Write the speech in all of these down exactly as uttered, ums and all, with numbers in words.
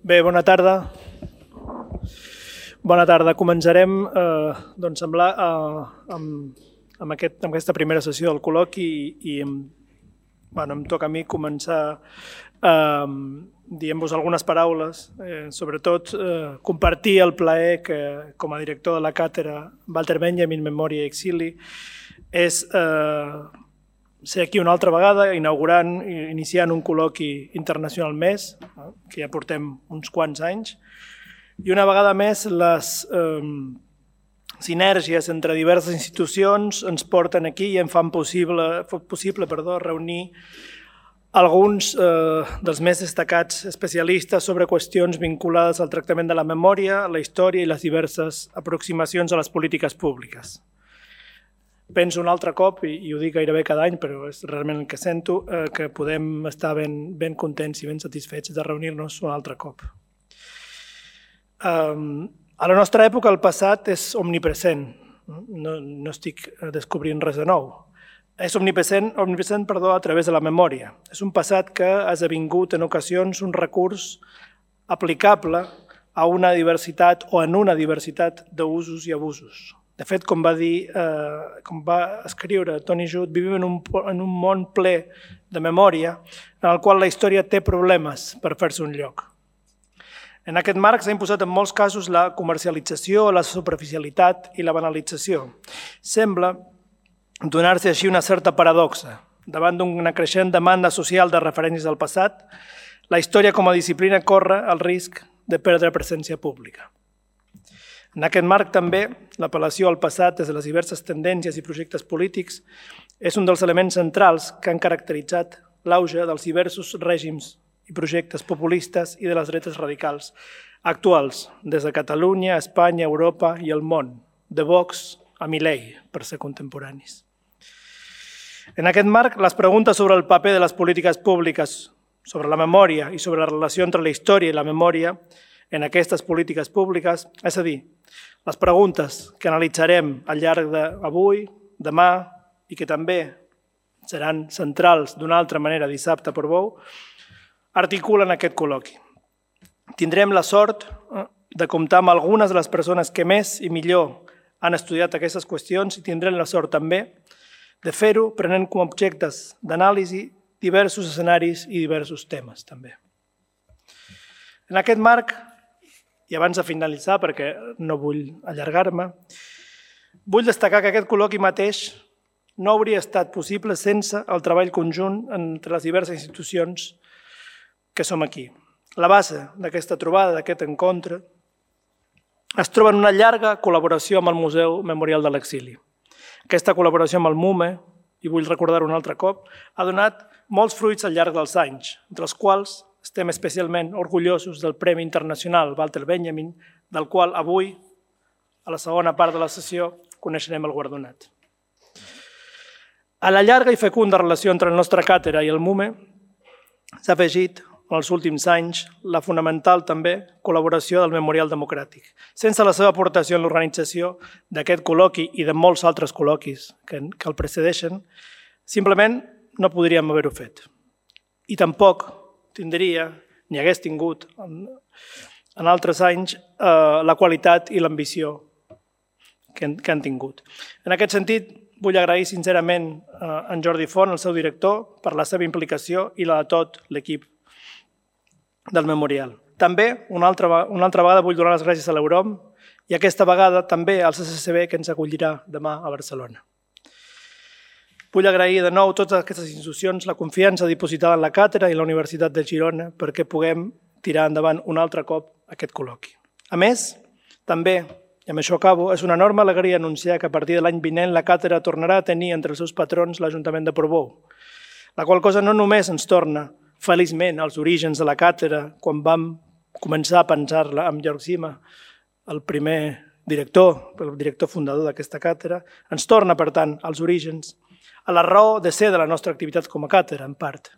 Bé, bona tarda. Bona tarda. Començarem eh, doncs, amb, la, eh, amb, amb, aquest, amb aquesta primera sessió del col·loqui i, i em, bueno, em toca a mi començar eh, dient-vos algunes paraules, eh, sobretot eh, compartir el plaer que, com a director de la càtedra Walter Benjamin, Memòria i Exili, és eh, ser aquí una altra vegada, inaugurant, iniciant un col·loqui internacional més, que ja portem uns quants anys, i una vegada més les eh, sinergies entre diverses institucions ens porten aquí i en fan possible, possible perdó, reunir alguns eh, dels més destacats especialistes sobre qüestions vinculades al tractament de la memòria, la història i les diverses aproximacions a les polítiques públiques. Penso un altre cop, i, i ho dic gairebé cada any, però és realment el que sento, eh, que podem estar ben, ben contents i ben satisfets de reunir-nos un altre cop. Um, a la nostra època el passat és omnipresent, no, no estic descobrint res de nou. És omnipresent, omnipresent perdó, a través de la memòria. És un passat que ha esdevingut en ocasions un recurs aplicable a una diversitat o en una diversitat d'usos i abusos. De fet, com va dir, eh, com va escriure Tony Judt, vivim en un, en un món ple de memòria en el qual la història té problemes per fer-se un lloc. En aquest marc s'ha imposat en molts casos la comercialització, la superficialitat i la banalització. Sembla donar-se així una certa paradoxa. Davant d'una creixent demanda social de referències del passat, la història com a disciplina corre el risc de perdre presència pública. En aquest marc també l'apel·lació al passat des de les diverses tendències i projectes polítics és un dels elements centrals que han caracteritzat l'auge dels diversos règims i projectes populistes i de les dretes radicals actuals, des de Catalunya, Espanya, Europa i el món, de Vox a Milei, per ser contemporanis. En aquest marc, les preguntes sobre el paper de les polítiques públiques, sobre la memòria i sobre la relació entre la història i la memòria en aquestes polítiques públiques, és a dir, les preguntes que analitzarem al llarg d'avui, demà i que també seran centrals d'una altra manera dissabte per Bou, articulen aquest col·loqui. Tindrem la sort de comptar amb algunes de les persones que més i millor han estudiat aquestes qüestions i tindrem la sort també de fer-ho prenent com a objectes d'anàlisi diversos escenaris i diversos temes també. En aquest marc, i abans de finalitzar, perquè no vull allargar-me, vull destacar que aquest col·loqui mateix no hauria estat possible sense el treball conjunt entre les diverses institucions que som aquí. La base d'aquesta trobada, d'aquest encontre, es troba en una llarga col·laboració amb el Museu Memorial de l'Exili. Aquesta col·laboració amb el MUME, i vull recordar-ho un altre cop, ha donat molts fruits al llarg dels anys, entre els quals estem especialment orgullosos del Premi Internacional Walter Benjamin, del qual avui, a la segona part de la sessió, coneixerem el guardonat. A la llarga i fecunda relació entre la nostra càtedra i el MUME s'ha afegit, en els últims anys, la fonamental també col·laboració del Memorial Democràtic. Sense la seva aportació en l'organització d'aquest col·loqui i de molts altres col·loquis que el precedeixen, simplement no podríem haver-ho fet. I tampoc tindria, ni hagués tingut en altres anys, la qualitat i l'ambició que han tingut. En aquest sentit, vull agrair sincerament a en Jordi Font, el seu director, per la seva implicació i la de tot l'equip del Memorial. També, una altra, una altra vegada, vull donar les gràcies a l'Eurom i aquesta vegada també al C C C B que ens acollirà demà a Barcelona. Vull agrair de nou a totes aquestes institucions la confiança dipositada en la càtedra i la Universitat de Girona perquè puguem tirar endavant un altre cop aquest col·loqui. A més, també, i amb això acabo, és una enorme alegria anunciar que a partir de l'any vinent la càtedra tornarà a tenir entre els seus patrons l'Ajuntament de Portbou, la qual cosa no només ens torna feliçment als orígens de la càtedra, quan vam començar a pensar-la amb Jörg Sima, el primer director, el director fundador d'aquesta càtedra, ens torna, per tant, als orígens, a la raó de ser de la nostra activitat com a càtedra, en part.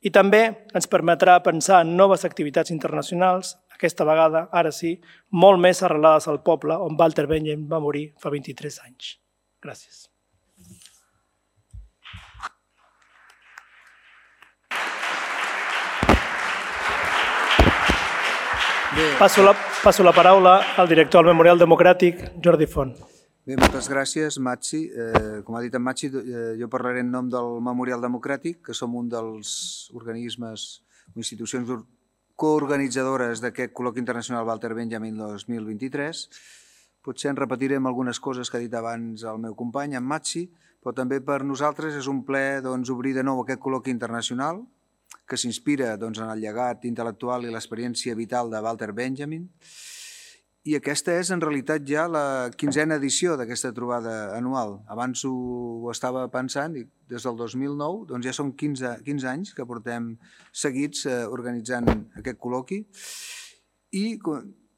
I també ens permetrà pensar en noves activitats internacionals, aquesta vegada, ara sí, molt més arrelades al poble on Walter Benjamin va morir fa vint-i-tres anys. Gràcies. Passo la, passo la paraula al director del Memorial Democràtic, Jordi Font. Bé, moltes gràcies, Matxi. Eh, com ha dit en Matxi, eh, jo parlaré en nom del Memorial Democràtic, que som un dels organismes o institucions coorganitzadores d'aquest col·loqui internacional Walter Benjamin dos mil vint-i-tres. Potser en repetirem algunes coses que ha dit abans el meu company, en Matxi, però també per nosaltres és un plaer doncs, obrir de nou aquest col·loqui internacional que s'inspira doncs, en el llegat intel·lectual i l'experiència vital de Walter Benjamin. I aquesta és en realitat ja la quinzena edició d'aquesta trobada anual. Abans ho, ho estava pensant i des del dos mil nou doncs ja són quinze, quinze anys que portem seguits eh, organitzant aquest col·loqui i,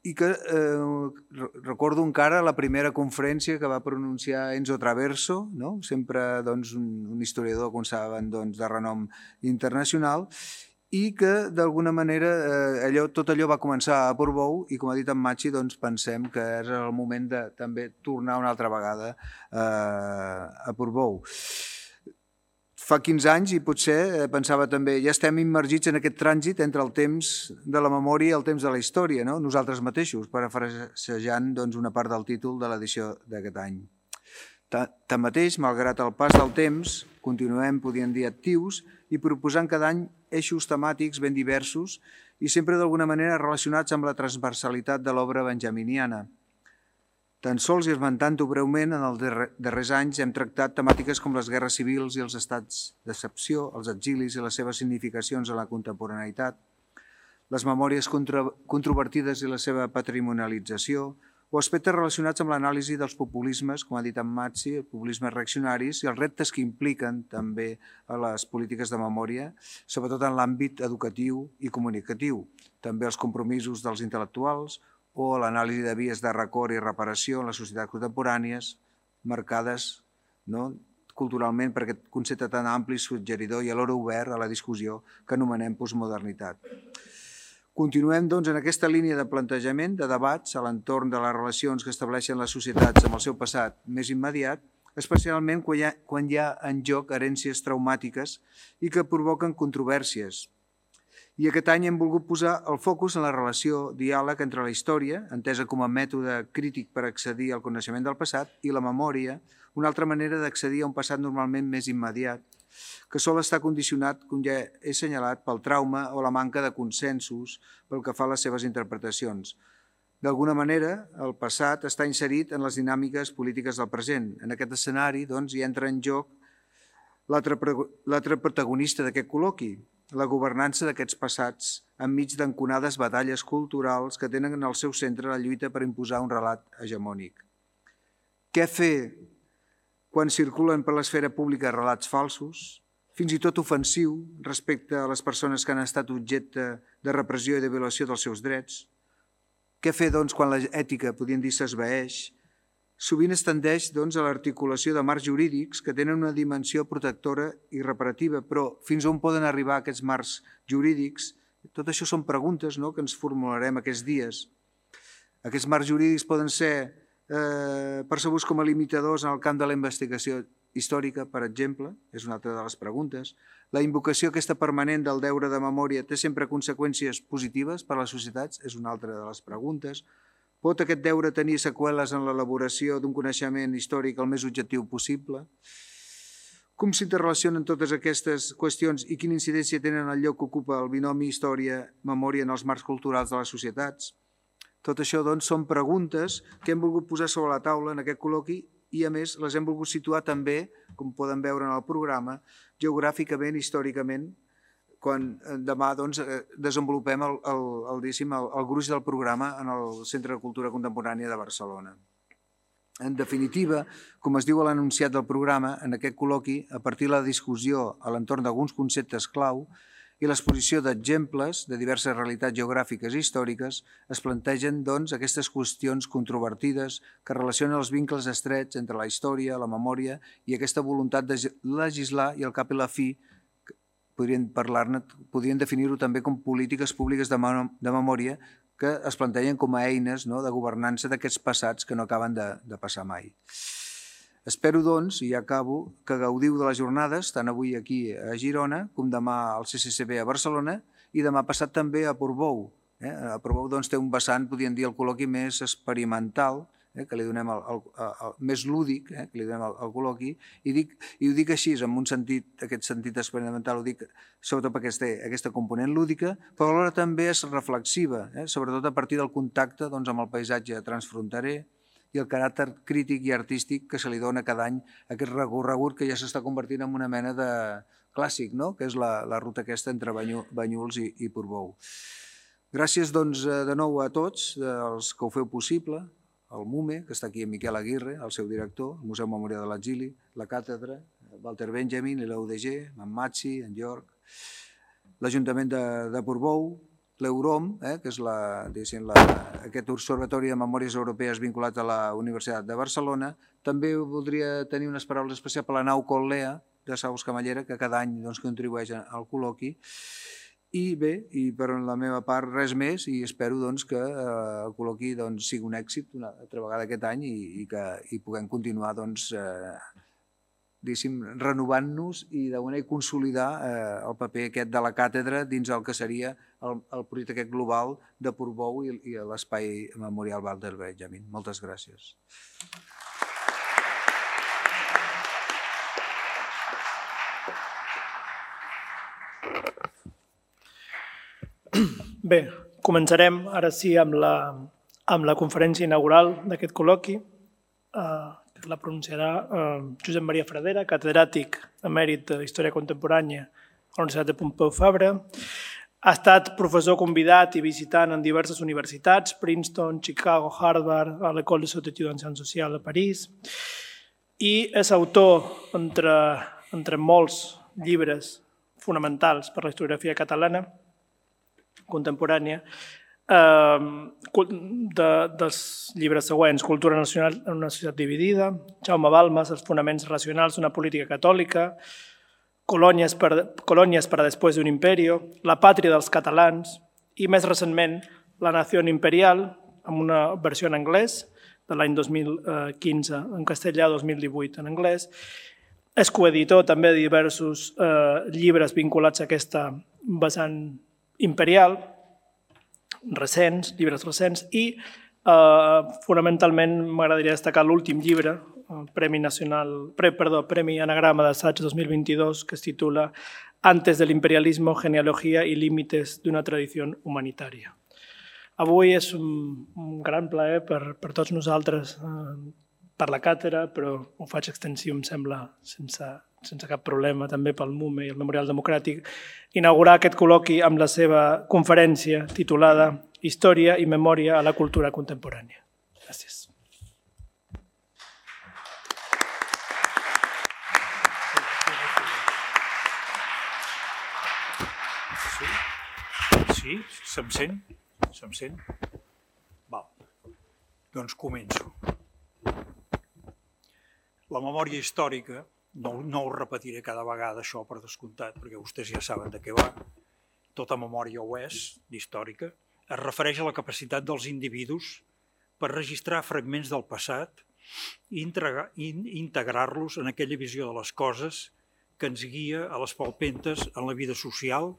i que eh, recordo encara la primera conferència que va pronunciar Enzo Traverso, no? Sempre doncs, un, un historiador, com saben, doncs, de renom internacional, i que d'alguna manera eh, allò, tot allò va començar a Portbou i, com ha dit en Matxi, doncs, pensem que és el moment de també tornar una altra vegada eh, a Portbou. Fa quinze anys i potser eh, pensava també, ja estem immergits en aquest trànsit entre el temps de la memòria i el temps de la història, no? Nosaltres mateixos, parafrasejant doncs, una part del títol de l'edició d'aquest any. Tanmateix, malgrat el pas del temps, continuem, podríem dir, actius i proposant cada any eixos temàtics ben diversos i sempre d'alguna manera relacionats amb la transversalitat de l'obra benjaminiana. Tan sols i esmentant-ho breument, en els darrers anys hem tractat temàtiques com les guerres civils i els estats d'excepció, els exilis i les seves significacions en la contemporaneïtat, les memòries controvertides i la seva patrimonialització, o aspectes relacionats amb l'anàlisi dels populismes, com ha dit en Matxi, els populismes reaccionaris i els reptes que impliquen també a les polítiques de memòria, sobretot en l'àmbit educatiu i comunicatiu, també els compromisos dels intel·lectuals, o l'anàlisi de vies de record i reparació en les societats contemporànies, marcades no, culturalment per aquest concepte tan ampli, suggeridor i alhora obert a la discussió que anomenem postmodernitat. Continuem doncs, en aquesta línia de plantejament, de debats a l'entorn de les relacions que estableixen les societats amb el seu passat més immediat, especialment quan hi ha, quan hi ha en joc herències traumàtiques i que provoquen controvèrsies. I aquest any hem volgut posar el focus en la relació diàleg entre la història, entesa com a mètode crític per accedir al coneixement del passat, i la memòria, una altra manera d'accedir a un passat normalment més immediat, que sol estar condicionat, com ja he assenyalat, pel trauma o la manca de consensos pel que fa a les seves interpretacions. D'alguna manera, el passat està inserit en les dinàmiques polítiques del present. En aquest escenari doncs, hi entra en joc l'altre protagonista d'aquest col·loqui, la governança d'aquests passats enmig d'enconades batalles culturals que tenen en el seu centre la lluita per imposar un relat hegemònic. Què fer quan circulen per l'esfera pública relats falsos, fins i tot ofensiu respecte a les persones que han estat objecte de repressió i de violació dels seus drets? Què fer doncs, quan l'ètica, podríem dir, s'esvaeix? Sovint es tendeix doncs, a l'articulació de marcs jurídics que tenen una dimensió protectora i reparativa, però fins on poden arribar aquests marcs jurídics? Tot això són preguntes no?, que ens formularem aquests dies. Aquests marcs jurídics poden ser eh, percebuts com a limitadors en el camp de la investigació històrica, per exemple, és una altra de les preguntes. La invocació aquesta permanent del deure de memòria té sempre conseqüències positives per a les societats? És una altra de les preguntes. Pot aquest deure tenir seqüeles en l'elaboració d'un coneixement històric el més objectiu possible? Com s'interrelacionen totes aquestes qüestions i quina incidència tenen el lloc que ocupa el binomi història-memòria en els marcs culturals de les societats? Tot això, doncs, són preguntes que hem volgut posar sobre la taula en aquest col·loqui i, a més, les hem volgut situar també, com poden veure en el programa, geogràficament, històricament, quan demà doncs, desenvolupem el, el, el, el, el gruix del programa en el Centre de Cultura Contemporània de Barcelona. En definitiva, com es diu a l'enunciat del programa, en aquest col·loqui, a partir de la discussió a l'entorn d'alguns conceptes clau i l'exposició d'exemples de diverses realitats geogràfiques i històriques, es plantegen doncs, aquestes qüestions controvertides que relacionen els vincles estrets entre la història, la memòria i aquesta voluntat de legislar i al cap i la fi podrien parlar-ne, podrien definir-ho també com polítiques públiques de, de memòria que es plantegen com a eines no, de governança d'aquests passats que no acaben de, de passar mai. Espero, doncs, i ja acabo, que gaudiu de les jornades, tant avui aquí a Girona com demà al C C C B a Barcelona i demà passat també a Portbou, A Portbou té un vessant, podríem dir, el col·loqui més experimental, que li donem el més lúdic, que li donem al col·loqui, i ho dic així, en un sentit, aquest sentit experimental, ho dic sobretot perquè té aquesta component lúdica, però alhora també és reflexiva, sobretot a partir del contacte amb el paisatge transfronterer i el caràcter crític i artístic que se li dona cada any a aquest recorregut que ja s'està convertint en una mena de clàssic, que és la ruta aquesta entre Banyuls i Portbou. Gràcies doncs de nou a tots els que ho feu possible, el MUME, que està aquí, en Miquel Aguirre, el seu director, el Museu Memorial de l'Exili, la càtedra, Walter Benjamin i l'U D G, en Matxi, en Jorg, l'Ajuntament de Portbou, l'Eurom, que és aquest observatori de memòries europees vinculat a la Universitat de Barcelona. També voldria tenir unes paraules especials per la nau Col·lea de Saus Camallera, que cada any contribueix al col·loqui. I bé, i per la meva part res més, i espero que el col·loqui sigui un èxit una altra vegada aquest any i que puguem continuar renovant-nos i d'alguna manera consolidar el paper aquest de la càtedra dins el que seria el projecte aquest global de Portbou i l'espai memorial Walter Benjamin. Moltes gràcies. Bé, començarem ara sí amb la conferència inaugural d'aquest col·loqui, que la pronunciarà Josep Maria Fradera, catedràtic emèrit d'Història Contemporània a la Universitat de Pompeu Fabra. Ha estat professor convidat i visitant en diverses universitats, Princeton, Chicago, Harvard, a l'École de Haute Études en Sciences Sociales a París, i és autor, entre molts llibres fonamentals per la historiografia catalana contemporània, dels llibres següents: Cultura nacional en una societat dividida, Jaume Balmes, Els fonaments racionals d'una política catòlica, Colònies per a després d'un imperio, La pàtria dels catalans i, més recentment, La nació imperial, amb una versió en anglès de l'any dos mil quinze, en castellà, dos mil divuit en anglès. És coeditor també de diversos llibres vinculats a aquesta vessant imperial, recents, llibres recents, i fonamentalment m'agradaria destacar l'últim llibre, Premi Nacional, perdó, Premi Anagrama d'Assaig dos mil vint-i-dos, que es titula Antes del imperialismo, genealogía y límites d'una tradició humanitària. Avui és un gran plaer per tots nosaltres, per la càtedra, però ho faig extensiu, em sembla, sense cap problema, també pel MUME i el Memorial Democràtic, inaugurar aquest col·loqui amb la seva conferència titulada Història i memòria a la cultura contemporània. Gràcies. Sí, se'm sent? Se'm sent? Val. Doncs començo. La memòria històrica, no ho repetiré cada vegada això per descomptat, perquè vostès ja saben de què va, tota memòria ho és, d'històrica, es refereix a la capacitat dels individus per registrar fragments del passat i integrar-los en aquella visió de les coses que ens guia a les palpentes en la vida social,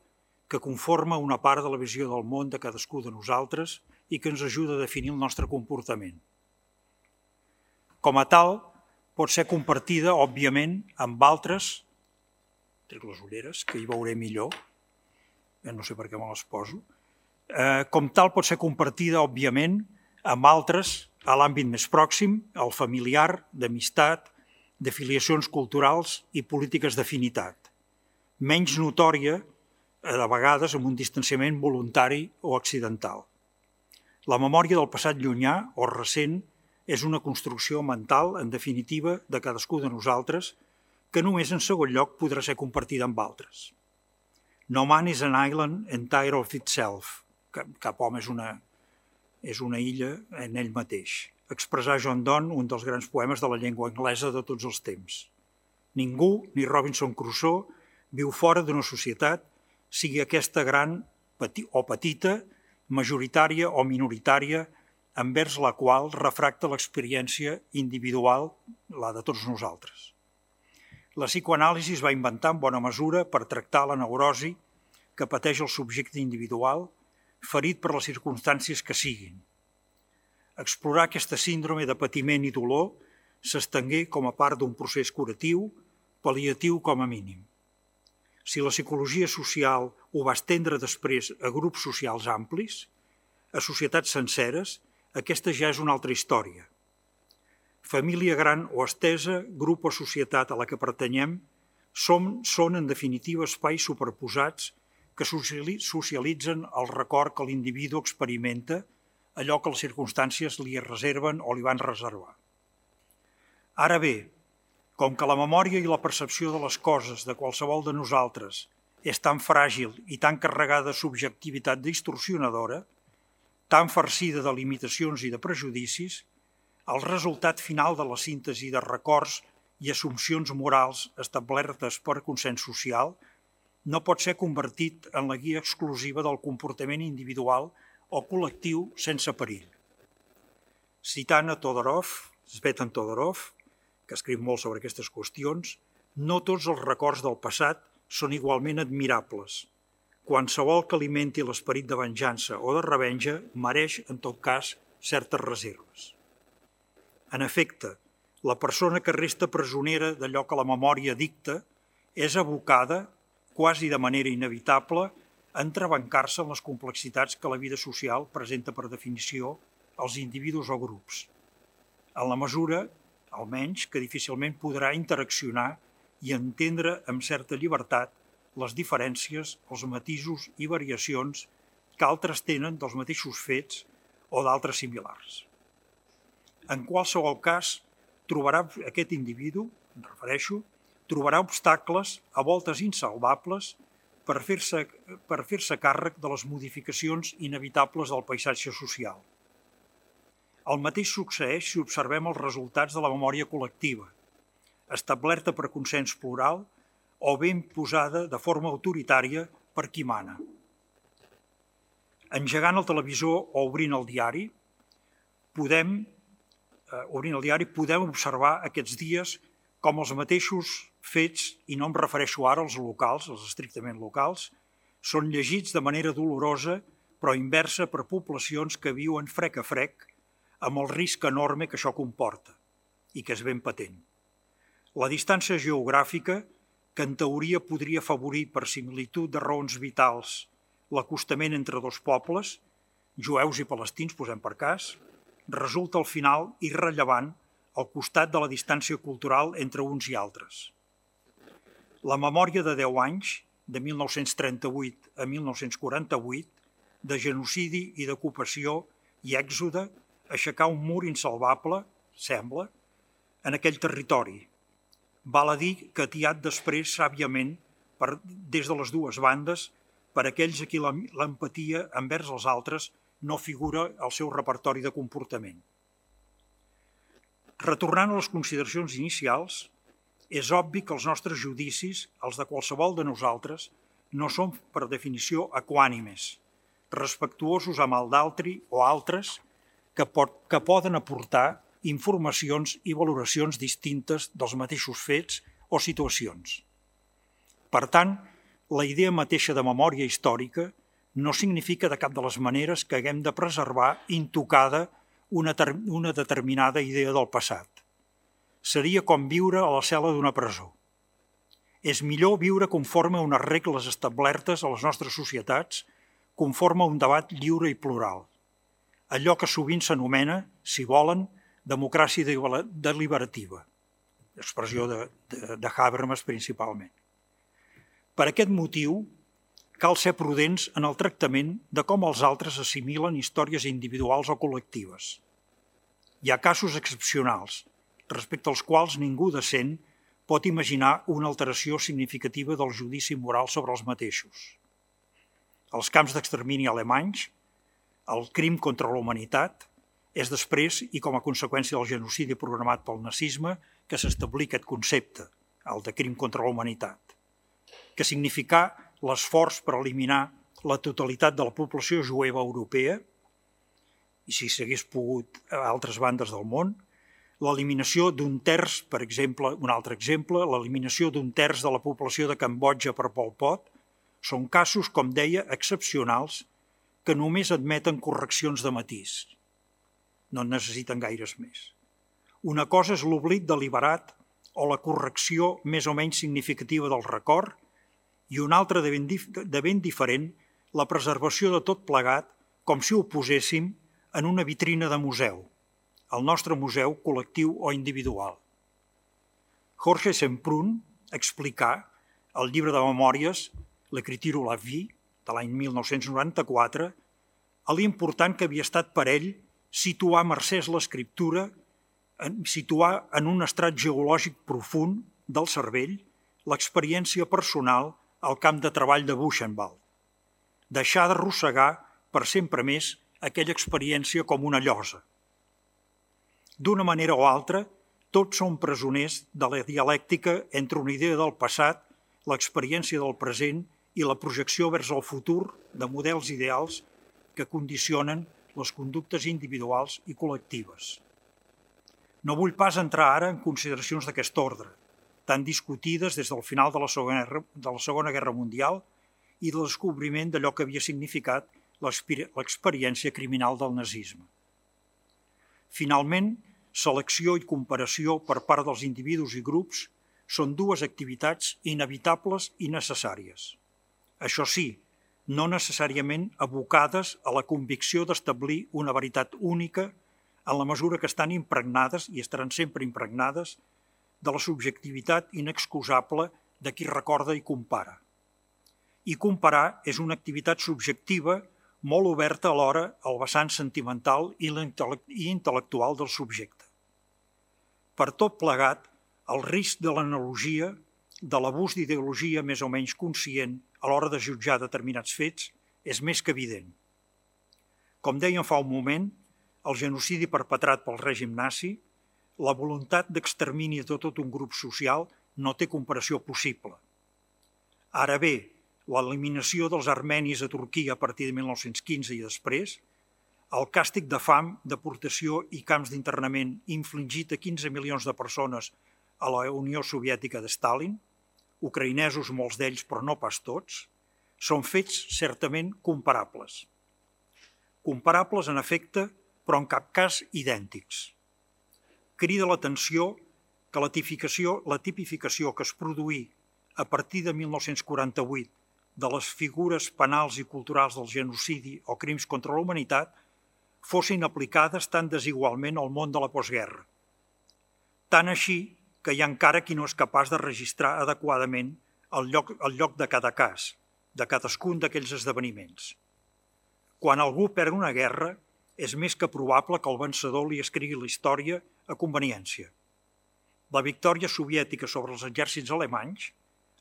que conforma una part de la visió del món de cadascú de nosaltres i que ens ajuda a definir el nostre comportament. Com a tal, pot ser compartida, òbviament, amb altres, trec les ulleres, que hi veuré millor, no sé per què me les poso, com tal pot ser compartida, òbviament, amb altres a l'àmbit més pròxim, el familiar, d'amistat, de filiacions culturals i polítiques d'afinitat, menys notòria, de vegades amb un distanciament voluntari o accidental. La memòria del passat llunyà o recent és una construcció mental, en definitiva, de cadascú de nosaltres, que només en segon lloc podrà ser compartida amb altres. No man is an island entire of itself. Cap home és una, és una illa en ell mateix. Expressar John Donne, un dels grans poemes de la llengua anglesa de tots els temps. Ningú, ni Robinson Crusoe, viu fora d'una societat, sigui aquesta gran o petita, majoritària o minoritària, envers la qual refracta l'experiència individual, la de tots nosaltres. La psicoanàlisi es va inventar en bona mesura per tractar la neurosi que pateix el subjecte individual, ferit per les circumstàncies que siguin. Explorar aquesta síndrome de patiment i dolor s'estengué com a part d'un procés curatiu, pal·liatiu com a mínim. Si la psicologia social ho va estendre després a grups socials amplis, a societats senceres, aquesta ja és una altra història. Família gran o estesa, grup o societat a la que pertanyem, som, són en definitiva espais superposats que socialitzen el record que l'individu experimenta, allò que les circumstàncies li reserven o li van reservar. Ara bé, com que la memòria i la percepció de les coses de qualsevol de nosaltres és tan fràgil i tan carregada de subjectivitat distorsionadora, tan farcida de limitacions i de prejudicis, el resultat final de la síntesi de records i assumpcions morals establertes per consens social no pot ser convertit en la guia exclusiva del comportament individual o col·lectiu sense perill. Citant a Todorov, Tzvetan Todorov, que escriu molt sobre aquestes qüestions, no tots els records del passat són igualment admirables. Qualsevol que alimenti l'esperit de venjança o de revenja mereix, en tot cas, certes reserves. En efecte, la persona que resta presonera d'allò que la memòria dicta és abocada, quasi de manera inevitable, a entrebancar-se en les complexitats que la vida social presenta per definició als individus o grups, en la mesura, almenys, que difícilment podrà interaccionar i entendre amb certa llibertat les diferències, els matisos i variacions que altres tenen dels mateixos fets o d'altres similars. En qualsevol cas, trobarà aquest individu, em refereixo, trobarà obstacles, a voltes insalvables, per fer-se per fer-se càrrec de les modificacions inevitables del paisatge social. El mateix succeeix si observem els resultats de la memòria col·lectiva, establerta per consens plural o ben posada de forma autoritària per qui mana. Engegant el televisor o obrint el diari, podem, eh, obrint el diari, podem observar aquests dies com els mateixos fets, i no em refereixo ara als locals, als estrictament locals, són llegits de manera dolorosa però inversa per poblacions que viuen frec a frec amb el risc enorme que això comporta i que és ben patent. La distància geogràfica, que en teoria podria afavorir per similitud de raons vitals l'acostament entre dos pobles, jueus i palestins, posem per cas, resulta al final irrellevant al costat de la distància cultural entre uns i altres. La memòria de deu anys, de mil nou-cents trenta-vuit a mil nou-cents quaranta-vuit, de genocidi i d'ocupació i èxode, aixecar un mur insalvable, sembla, en aquell territori. Val a dir que atiat després sàviament per, des de les dues bandes per aquells a qui l'empatia envers els altres no figura al seu repertori de comportament. Retornant a les consideracions inicials, és obvi que els nostres judicis, els de qualsevol de nosaltres, no són per definició equànimes, respectuosos amb el d'altri o altres que, pot, que poden aportar informacions i valoracions distintes dels mateixos fets o situacions. Per tant, la idea mateixa de memòria històrica no significa de cap de les maneres que haguem de preservar intocada una, una determinada idea del passat. Seria com viure a la cel·la d'una presó. És millor viure conforme a unes regles establertes a les nostres societats, conforme a un debat lliure i plural. Allò que sovint s'anomena, si volen, democràcia deliberativa, expressió de, de, de Habermas principalment. Per aquest motiu, cal ser prudents en el tractament de com els altres assimilen històries individuals o col·lectives. Hi ha casos excepcionals, respecte als quals ningú decent pot imaginar una alteració significativa del judici moral sobre els mateixos. Els camps d'extermini alemanys, el crim contra la humanitat, és després i com a conseqüència del genocidi programat pel nazisme que s'establí aquest concepte, el de crim contra la humanitat, que significà l'esforç per eliminar la totalitat de la població jueva europea, i si s'hagués pogut a altres bandes del món, l'eliminació d'un terç, per exemple, un altre exemple, l'eliminació d'un terç de la població de Cambodja per Pol Pot, són casos, com deia, excepcionals que només admeten correccions de matís. No en necessiten gaires més. Una cosa és l'oblit deliberat o la correcció més o menys significativa del record i una altra de ben, dif de ben diferent, la preservació de tot plegat com si ho poséssim en una vitrina de museu, el nostre museu col·lectiu o individual. Jorge Semprún explicà al llibre de memòries L'Écriture ou la vie, de l'any mil nou-cents noranta-quatre, l'important que havia estat per ell situar mercès l'escriptura, situar en un estrat geològic profund del cervell l'experiència personal al camp de treball de Buchenwald. Deixar d'arrossegar per sempre més aquella experiència com una llosa. D'una manera o altra, tots som presoners de la dialèctica entre una idea del passat, l'experiència del present i la projecció vers el futur de models ideals que condicionen les conductes individuals i col·lectives. No vull pas entrar ara en consideracions d'aquest ordre, tan discutides des del final de la Segona Guerra, de la Segona Guerra Mundial i del descobriment d'allò que havia significat l'experiència criminal del nazisme. Finalment, selecció i comparació per part dels individus i grups són dues activitats inevitables i necessàries. Això sí, no necessàriament abocades a la convicció d'establir una veritat única en la mesura que estan impregnades i estaran sempre impregnades de la subjectivitat inexcusable de qui recorda i compara. I comparar és una activitat subjectiva molt oberta alhora al vessant sentimental i intel·lectual del subjecte. Per tot plegat, el risc de l'analogia, de l'abús d'ideologia més o menys conscient a l'hora de jutjar determinats fets, és més que evident. Com dèiem fa un moment, el genocidi perpetrat pel règim nazi, la voluntat d'extermini de tot un grup social no té comparació possible. Ara bé, l'eliminació dels armenis a Turquia a partir de mil nou-cents quinze i després, el càstig de fam, deportació i camps d'internament infligit a quinze milions de persones a la Unió Soviètica de Stalin, ucraïnesos molts d'ells però no pas tots, són fets certament comparables. Comparables en efecte, però en cap cas idèntics. Crida l'atenció que la tipificació, la tipificació que es produí a partir de mil nou-cents quaranta-vuit de les figures penals i culturals del genocidi o crims contra la humanitat fossin aplicades tan desigualment al món de la postguerra. Tant així que hi ha encara qui no és capaç de registrar adequadament el lloc, el lloc de cada cas, de cadascun d'aquells esdeveniments. Quan algú perd una guerra, és més que probable que el vencedor li escrigui la història a conveniència. La victòria soviètica sobre els exèrcits alemanys,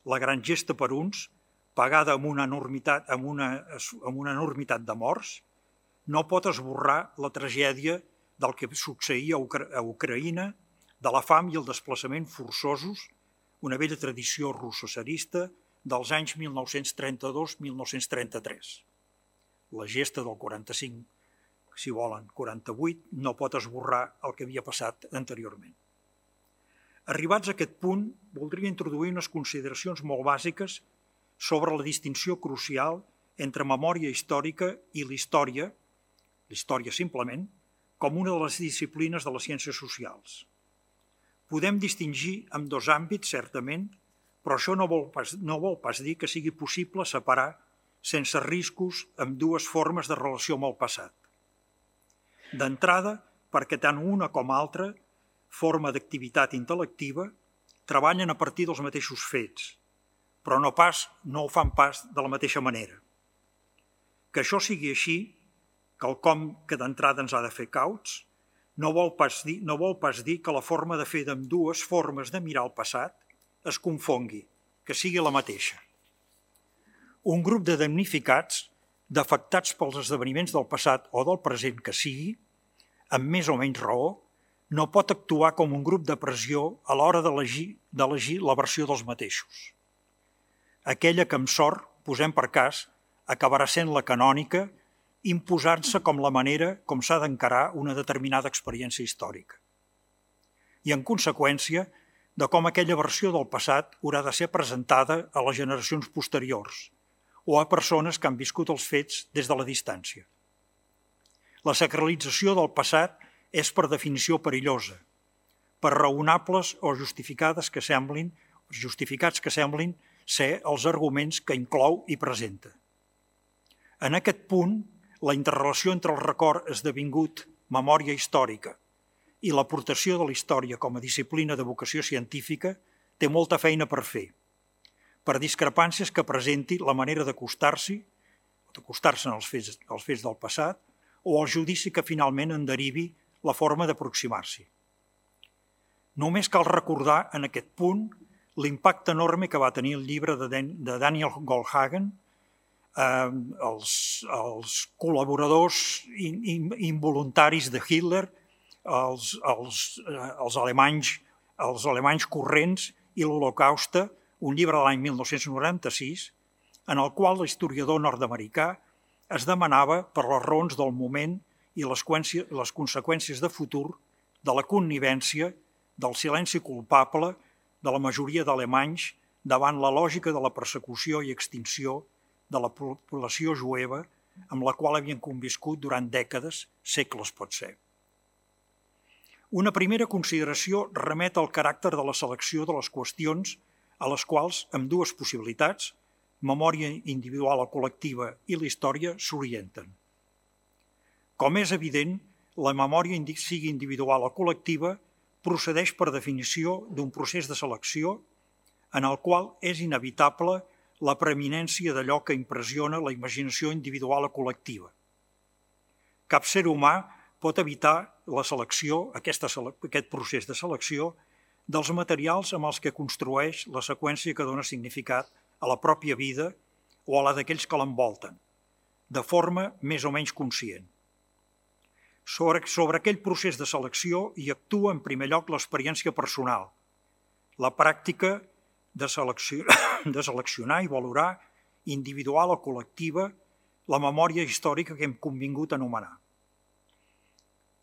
la gran gesta per uns, pagada amb una enormitat, amb una, amb una enormitat de morts, no pot esborrar la tragèdia del que succeïa a, Ucra a Ucraïna, de la fam i el desplaçament forçosos, una vella tradició russo-tsarista dels anys mil nou-cents trenta-dos a mil nou-cents trenta-tres. La gesta del quaranta-cinc, si volen, quaranta-vuit, no pot esborrar el que havia passat anteriorment. Arribats a aquest punt, voldria introduir unes consideracions molt bàsiques sobre la distinció crucial entre memòria històrica i l'història, l'història simplement, com una de les disciplines de les ciències socials. Podem distingir amb dos àmbits, certament, però això no vol pas, no vol pas dir que sigui possible separar sense riscos amb dues formes de relació amb el passat. D'entrada, perquè tant una com altra forma d'activitat intel·lectiva treballen a partir dels mateixos fets, però no pas no ho fan pas de la mateixa manera. Que això sigui així, quelcom que d'entrada ens ha de fer cauts, no vol pas dir, no vol pas dir que la forma de fer d'ambdues formes de mirar el passat es confongui, que sigui la mateixa. Un grup de damnificats, d'afectats pels esdeveniments del passat o del present que sigui, amb més o menys raó, no pot actuar com un grup de pressió a l'hora d'elegir la versió dels mateixos. Aquella que amb sort, posem per cas, acabarà sent la canònica, imposant-se com la manera com s'ha d'encarar una determinada experiència històrica. I en conseqüència, de com aquella versió del passat haurà de ser presentada a les generacions posteriors, o a persones que han viscut els fets des de la distància. La sacralització del passat és per definició perillosa, per raonables o justificades que semblin, justificats que semblin ser els arguments que inclou i presenta. En aquest punt, la interrelació entre el record esdevingut memòria històrica i l'aportació de la història com a disciplina de vocació científica té molta feina per fer, per discrepàncies que presenti la manera d'acostar-s'hi, d'acostar-se als fets, als fets del passat, o el judici que finalment en derivi la forma d'aproximar-s'hi. Només cal recordar en aquest punt l'impacte enorme que va tenir el llibre de Daniel Goldhagen, eh, els, els col·laboradors in, in, involuntaris de Hitler, els, els, eh, els, alemanys, els alemanys corrents i l'Holocauste, un llibre de l'any mil nou-cents noranta-sis, en el qual l'historiador nord-americà es demanava per les raons del moment i les, les conseqüències de futur de la connivència, del silenci culpable de la majoria d'alemanys davant la lògica de la persecució i extinció de la població jueva amb la qual havien conviscut durant dècades, segles pot ser. Una primera consideració remet al caràcter de la selecció de les qüestions a les quals, amb dues possibilitats, memòria individual o col·lectiva i la història, s'orienten. Com és evident, la memòria, sigui individual o col·lectiva, procedeix per definició d'un procés de selecció en el qual és inevitable la preeminència d'allò que impressiona la imaginació individual o col·lectiva. Cap ser humà pot evitar la selecció, aquesta, aquest procés de selecció, dels materials amb els que construeix la seqüència que dona significat a la pròpia vida o a la d'aquells que l'envolten, de forma més o menys conscient. Sobre, sobre aquell procés de selecció hi actua en primer lloc l'experiència personal, la pràctica de, selecció, de seleccionar i valorar individual o col·lectiva la memòria històrica que hem convingut a anomenar,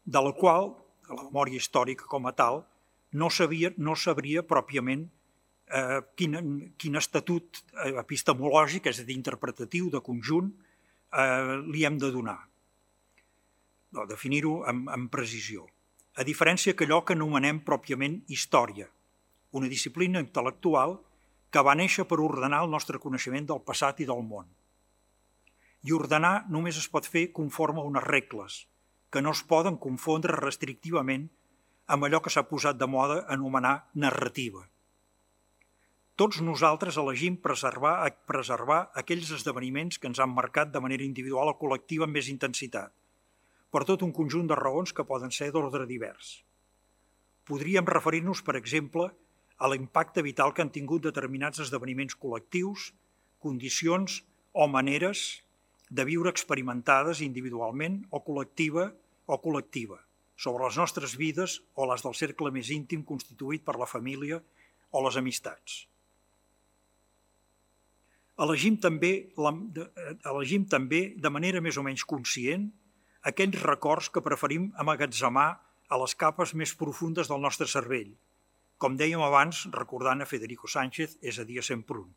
de la qual, la memòria històrica com a tal, no sabia, no sabria pròpiament eh, quin, quin estatut epistemològic, és a dir, interpretatiu, de conjunt, eh, li hem de donar. No, definir-ho amb, amb precisió. A diferència que allò que anomenem pròpiament història, una disciplina intel·lectual que va néixer per ordenar el nostre coneixement del passat i del món. I ordenar només es pot fer conforme a unes regles, que no es poden confondre restrictivament amb allò que s'ha posat de moda anomenar narrativa. Tots nosaltres elegim preservar, preservar aquells esdeveniments que ens han marcat de manera individual o col·lectiva amb més intensitat, per tot un conjunt de raons que poden ser d'ordre divers. Podríem referir-nos, per exemple, a l'impacte vital que han tingut determinats esdeveniments col·lectius, condicions o maneres de viure experimentades individualment o col·lectiva o col·lectiva, sobre les nostres vides o les del cercle més íntim constituït per la família o les amistats. Elegim també, elegim també de manera més o menys conscient aquells records que preferim amagatzemar a les capes més profundes del nostre cervell, com dèiem abans recordant a Federico Sánchez, és a dir, a Semprún.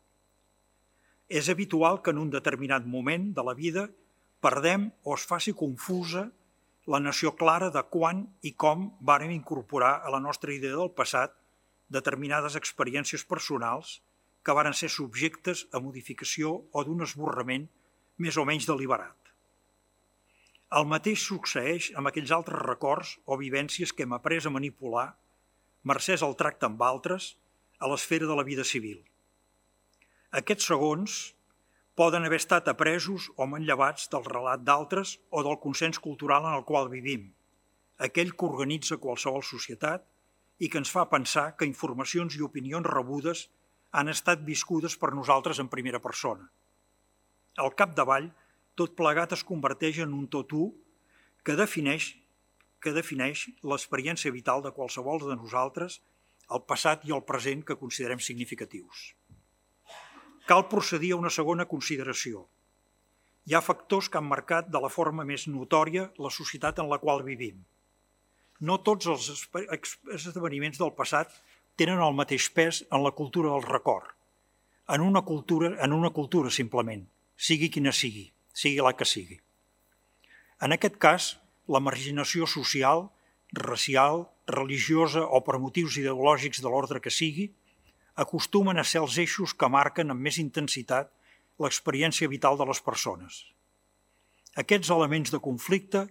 És habitual que en un determinat moment de la vida perdem o es faci confusa la noció clara de quan i com vàrem incorporar a la nostra idea del passat determinades experiències personals que varen ser subjectes a modificació o d'un esborrament més o menys deliberat. El mateix succeeix amb aquells altres records o vivències que hem après a manipular, mercès al tracte amb altres, a l'esfera de la vida civil. Aquests segons poden haver estat apresos o manllevats del relat d'altres o del consens cultural en el qual vivim, aquell que organitza qualsevol societat i que ens fa pensar que informacions i opinions rebudes han estat viscudes per nosaltres en primera persona. Al capdavall, tot plegat es converteix en un tot u que defineix, que defineix l'experiència vital de qualsevol de nosaltres, el passat i el present que considerem significatius. Cal procedir a una segona consideració. Hi ha factors que han marcat de la forma més notòria la societat en la qual vivim. No tots els esdeveniments del passat tenen el mateix pes en la cultura del record, en una cultura, en una cultura simplement, sigui quina sigui, sigui la que sigui. En aquest cas, la marginació social, racial, religiosa o per motius ideològics de l'ordre que sigui, acostumen a ser els eixos que marquen amb més intensitat l'experiència vital de les persones. Aquests elements de conflicte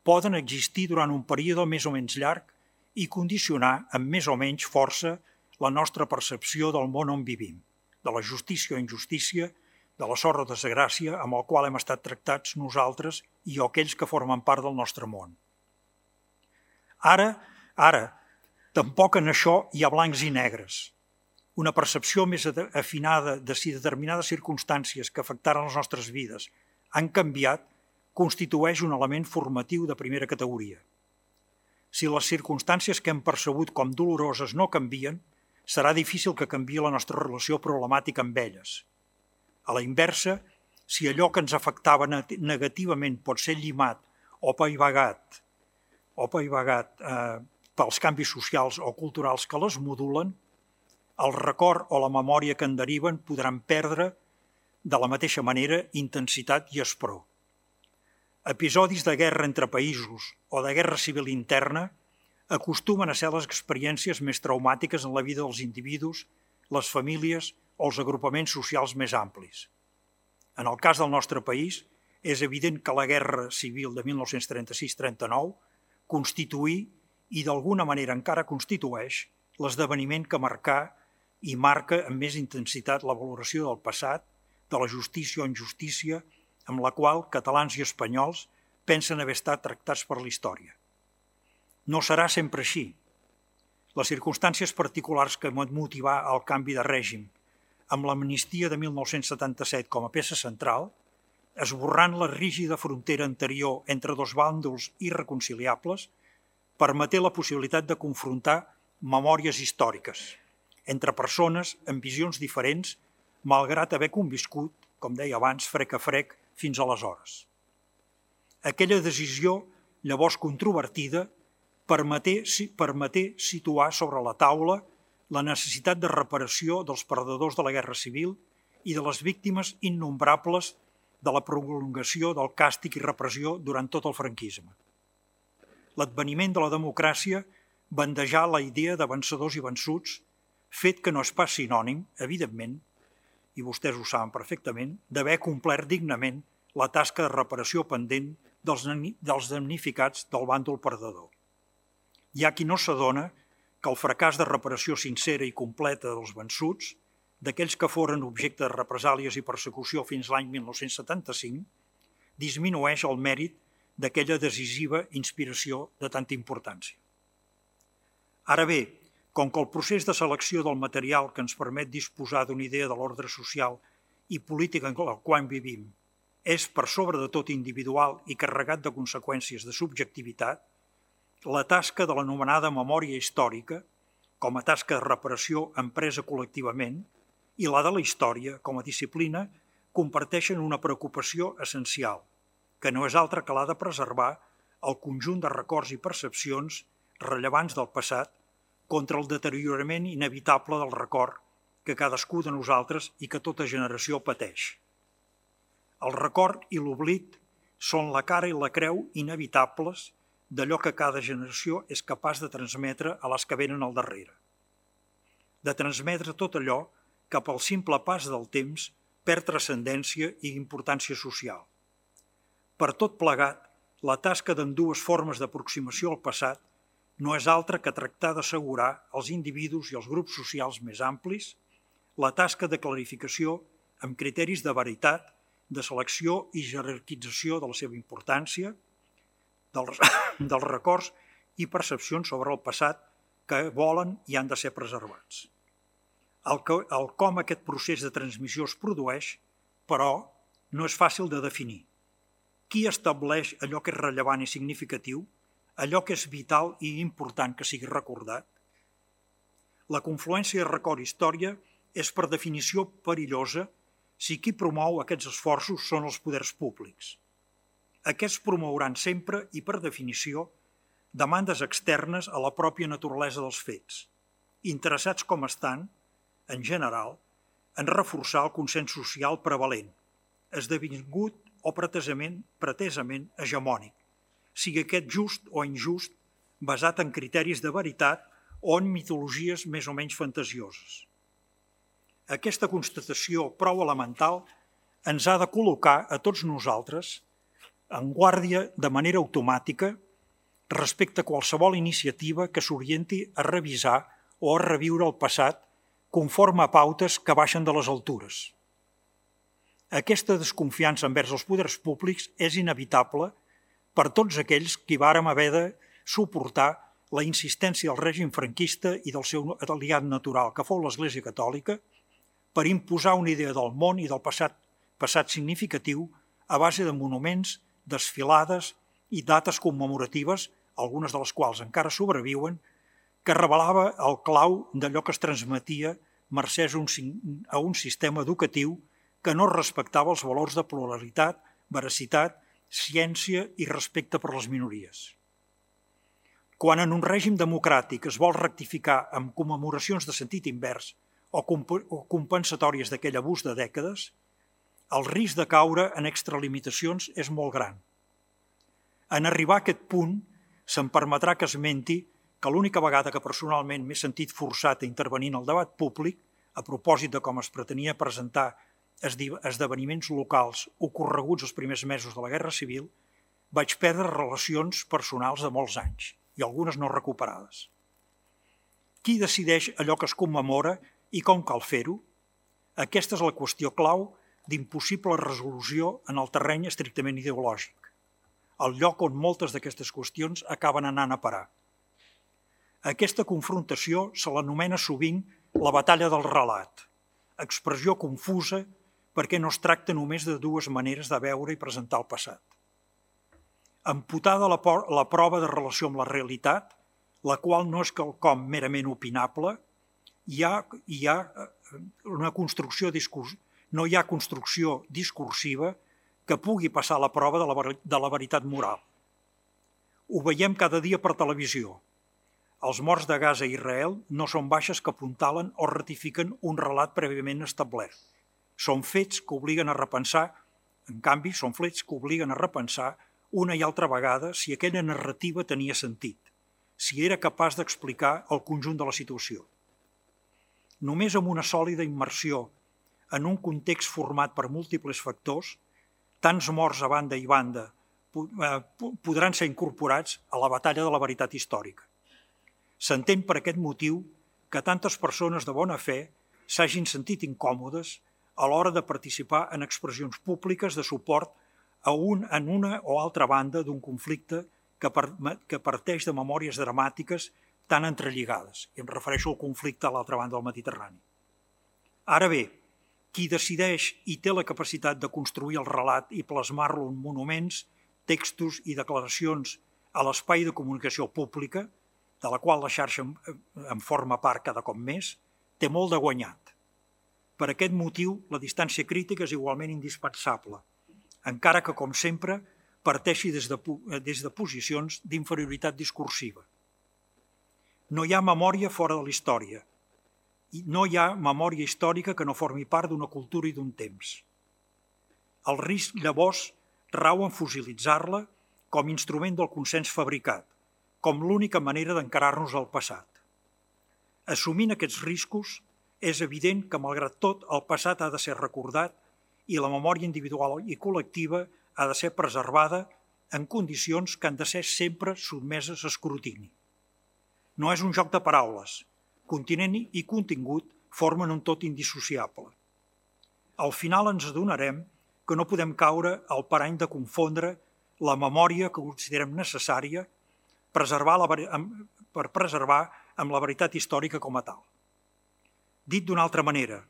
poden existir durant un període més o menys llarg i condicionar amb més o menys força la nostra percepció del món on vivim, de la justícia o injustícia, de la sort o desgràcia amb el qual hem estat tractats nosaltres i o aquells que formen part del nostre món. Ara, ara, tampoc en això hi ha blancs i negres. Una percepció més afinada de si determinades circumstàncies que afectaren les nostres vides han canviat constitueix un element formatiu de primera categoria. Si les circumstàncies que hem percebut com doloroses no canvien, serà difícil que canviï la nostra relació problemàtica amb elles. A la inversa, si allò que ens afectava negativament pot ser llimat o paivagat, o paivagat eh, pels canvis socials o culturals que les modulen, el record o la memòria que en deriven podran perdre de la mateixa manera intensitat i espror. Episodis de guerra entre països o de guerra civil interna acostumen a ser les experiències més traumàtiques en la vida dels individus, les famílies o els agrupaments socials més amplis. En el cas del nostre país, és evident que la guerra civil de mil nou-cents trenta-sis trenta-nou constituí i d'alguna manera encara constitueix l'esdeveniment que marcà i marca amb més intensitat la valoració del passat, de la justícia o injustícia, amb la qual catalans i espanyols pensen haver estat tractats per la història. No serà sempre així. Les circumstàncies particulars que van motivar el canvi de règim, amb l'amnistia de mil nou-cents setanta-set com a peça central, esborrant la rígida frontera anterior entre dos bàndols irreconciliables, permeté la possibilitat de confrontar memòries històriques entre persones amb visions diferents, malgrat haver conviscut, com deia abans, frec a frec, fins aleshores. Aquella decisió, llavors controvertida, permeté, permeté situar sobre la taula la necessitat de reparació dels perdedors de la guerra civil i de les víctimes innombrables de la prolongació del càstig i repressió durant tot el franquisme. L'adveniment de la democràcia bandejà la idea de vencedors i vençuts, fet que no és pas sinònim, evidentment, i vostès ho saben perfectament, d'haver complert dignament la tasca de reparació pendent dels, dels damnificats del bàndol perdedor. Hi ha qui no s'adona que el fracàs de reparació sincera i completa dels vençuts, d'aquells que foren objecte de represàlies i persecució fins l'any mil nou-cents setanta-cinc, disminueix el mèrit d'aquella decisiva inspiració de tanta importància. Ara bé, com que el procés de selecció del material que ens permet disposar d'una idea de l'ordre social i política en el qual vivim és per sobre de tot individual i carregat de conseqüències de subjectivitat, la tasca de l'anomenada memòria històrica, com a tasca de reparació empresa col·lectivament, i la de la història, com a disciplina, comparteixen una preocupació essencial, que no és altra que la de preservar el conjunt de records i percepcions rellevants del passat contra el deteriorament inevitable del record que cadascú de nosaltres i que tota generació pateix. El record i l'oblit són la cara i la creu inevitables d'allò que cada generació és capaç de transmetre a les que venen al darrere. De transmetre tot allò que pel simple pas del temps perd transcendència i importància social. Per tot plegat, la tasca d'ambdues formes d'aproximació al passat no és altra que tractar d'assegurar als individus i als grups socials més amplis la tasca de clarificació amb criteris de veritat, de selecció i jerarquització de la seva importància, dels, dels records i percepcions sobre el passat que volen i han de ser preservats. El, que, el com aquest procés de transmissió es produeix, però, no és fàcil de definir. Qui estableix allò que és rellevant i significatiu, allò que és vital i important que sigui recordat? La confluència de record i història és per definició perillosa si qui promou aquests esforços són els poders públics. Aquests promouran sempre i per definició demandes externes a la pròpia naturalesa dels fets, interessats com estan, en general, en reforçar el consens social prevalent, esdevingut o pretesament, pretesament hegemònic, sigui aquest just o injust, basat en criteris de veritat o en mitologies més o menys fantasioses. Aquesta constatació prou elemental ens ha de col·locar a tots nosaltres en guàrdia de manera automàtica respecte a qualsevol iniciativa que s'orienti a revisar o a reviure el passat conforme a pautes que baixen de les altures. Aquesta desconfiança envers els poders públics és inevitable per tots aquells qui vàrem haver de suportar la insistència del règim franquista i del seu aliat natural, que fou l'Església Catòlica, per imposar una idea del món i del passat, passat significatiu a base de monuments, desfilades i dates commemoratives, algunes de les quals encara sobreviuen, que revelava el clau d'allò que es transmetia mercès a un sistema educatiu que no respectava els valors de pluralitat, veracitat, ciència i respecte per les minories. Quan en un règim democràtic es vol rectificar amb commemoracions de sentit invers o compensatòries d'aquell abús de dècades, el risc de caure en extralimitacions és molt gran. En arribar a aquest punt, se'm permetrà que esmenti que l'única vegada que personalment m'he sentit forçat a intervenir en el debat públic, a propòsit de com es pretenia presentar esdeveniments locals ocorreguts els primers mesos de la Guerra Civil, vaig perdre relacions personals de molts anys, i algunes no recuperades. Qui decideix allò que es commemora i com cal fer-ho? Aquesta és la qüestió clau d'impossible resolució en el terreny estrictament ideològic, el lloc on moltes d'aquestes qüestions acaben anant a parar. Aquesta confrontació se l'anomena sovint la batalla del relat, expressió confusa perquè no es tracta només de dues maneres de veure i presentar el passat. Amputada la, la prova de relació amb la realitat, la qual no és quelcom merament opinable, hi ha, hi ha una construcció discurs, no hi ha construcció discursiva que pugui passar la prova de la, de la veritat moral. Ho veiem cada dia per televisió. Els morts de Gaza i Israel no són baixes que apuntalen o ratifiquen un relat prèviament establert. Són fets que obliguen a repensar, en canvi, són fets que obliguen a repensar una i altra vegada si aquella narrativa tenia sentit, si era capaç d'explicar el conjunt de la situació. Només amb una sòlida immersió en un context format per múltiples factors, tants morts a banda i banda podran ser incorporats a la batalla de la veritat històrica. S'entén per aquest motiu que tantes persones de bona fe s'hagin sentit incòmodes a l'hora de participar en expressions públiques de suport a un, en una o altra banda d'un conflicte que, per, que parteix de memòries dramàtiques tan entrelligades, i em refereixo al conflicte a l'altra banda del Mediterrani. Ara bé, qui decideix i té la capacitat de construir el relat i plasmar-lo en monuments, textos i declaracions a l'espai de comunicació pública, de la qual la xarxa en forma part cada cop més, té molt de guanyat. Per aquest motiu, la distància crítica és igualment indispensable, encara que, com sempre, parteixi des de, des de posicions d'inferioritat discursiva. No hi ha memòria fora de la història. No hi ha memòria històrica que no formi part d'una cultura i d'un temps. El risc, llavors, rau en fosilitzar-la com a instrument del consens fabricat, com l'única manera d'encarar-nos al passat. Assumint aquests riscos, és evident que, malgrat tot, el passat ha de ser recordat i la memòria individual i col·lectiva ha de ser preservada en condicions que han de ser sempre sotmeses a escrutini. No és un joc de paraules. Continent i contingut formen un tot indissociable. Al final ens adonarem que no podem caure al parany de confondre la memòria que considerem necessària preservar la, per preservar amb la veritat històrica com a tal. Dit d'una altra manera,